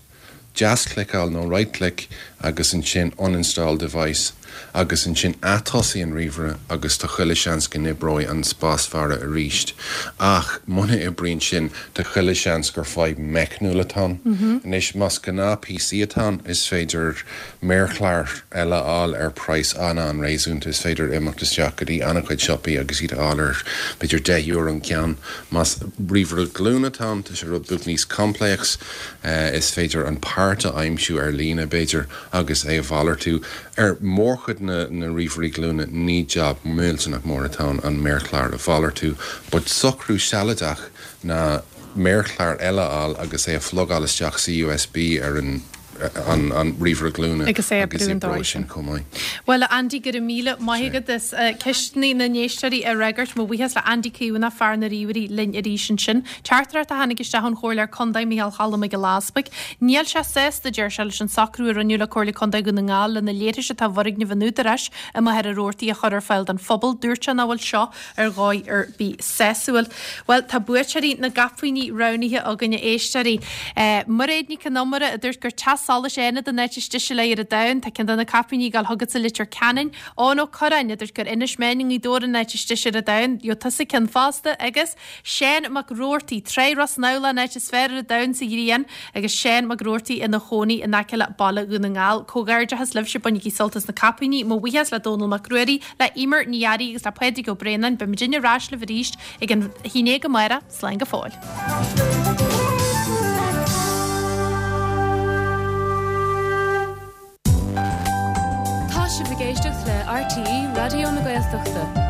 deaschliceáil nó right click agus ansin uninstall device agus ansin atosaigh an ríomhaire agus tá chuile seans go n-oibreoidh an spásbharra arís. Ach muna oibríonn sin tá chuile seans gur fadhb meicniúil atá ann. Anois más gnáth PC atá ann is féidir méarchlár eile a fháil ar praghas an-an-réasúnta, is féidir imeacht isteach go dtí an-chuid siopaí agus iad a fháil ar b'fhéidir deich euro an ceann. Más ríomhaire glúine atá ann tá sé rud beag níos complex, is féidir an páirt a aimsiú ar líne b'fhéidir agus é a mhalartú. Ar mhórchuid na na ríomhairí glúine ní jab millteanach mór atá ann an méarchlár a mhalartú, but socrú sealadach ná méarchlár eile a fháil agus é a phlugáil isteach sa USB ar an an an ríomhaire glúine Agus é a agus brú an oibreoidh dóigh sin sin. chomh maith. Bhuel, a Andy, go raibh míle maith agat as ceisteanna na n-éisteoirí a fhreagairt. Mo bhuíochas le Andy Caomhánach, fear na ríomhairí, linn arís ansin. Teachtaireacht a tháinig isteach ón Chomhairleoir Contae Micheál Choilm Mac Giolla Easpaig. Níl sé sásta, deir sé, leis an socrú a rinneadh le Comhairle Contae Dhún na nGall le na leithris atá i bhfoirgneamh an Údaráis i Machaire Rabhartaigh a chur ar fáil don phobal. Dúirt sé nach bhfuil seo ar dhóigh ar bith sásúil. Bhuel, tá buaiteoirí na gcaipíní roghnaithe againn, a éisteoirí. Mairéad Nic Con Iomaire a dúirt gur Teach Solais Fhánada an áit is deise léi ar an domhan. Tá ceann de na caipíní ag dul chugat sa Leitir Ceanainn. Eoin Ó Curráin a dúirt gur Inis Meáin i nGaoth Dobhair an áit is deise ar an domhan. Gheobhaidh tusa ceann fosta. Agus Seán Mac Roarty, Trá Ros na mBealach an áit is fearr ar an domhan sa ghrian agus Seán Mac Roarty ina chónaí in aice le Baile Dhún na nGall. Comhghairdeachas libhse, bainigí sult as na caipíní. Mo bhuíochas le Dónal Mac Ruairí, le Emer Ní Fhearraigh agus le Pádraig Ó Braonáin. Beidh muidinne ar ais libh arís ag an haon déag amárach. Slán go fóill. Tá sibh ag éisteacht le RTÉ Raidió na Gaeltachta.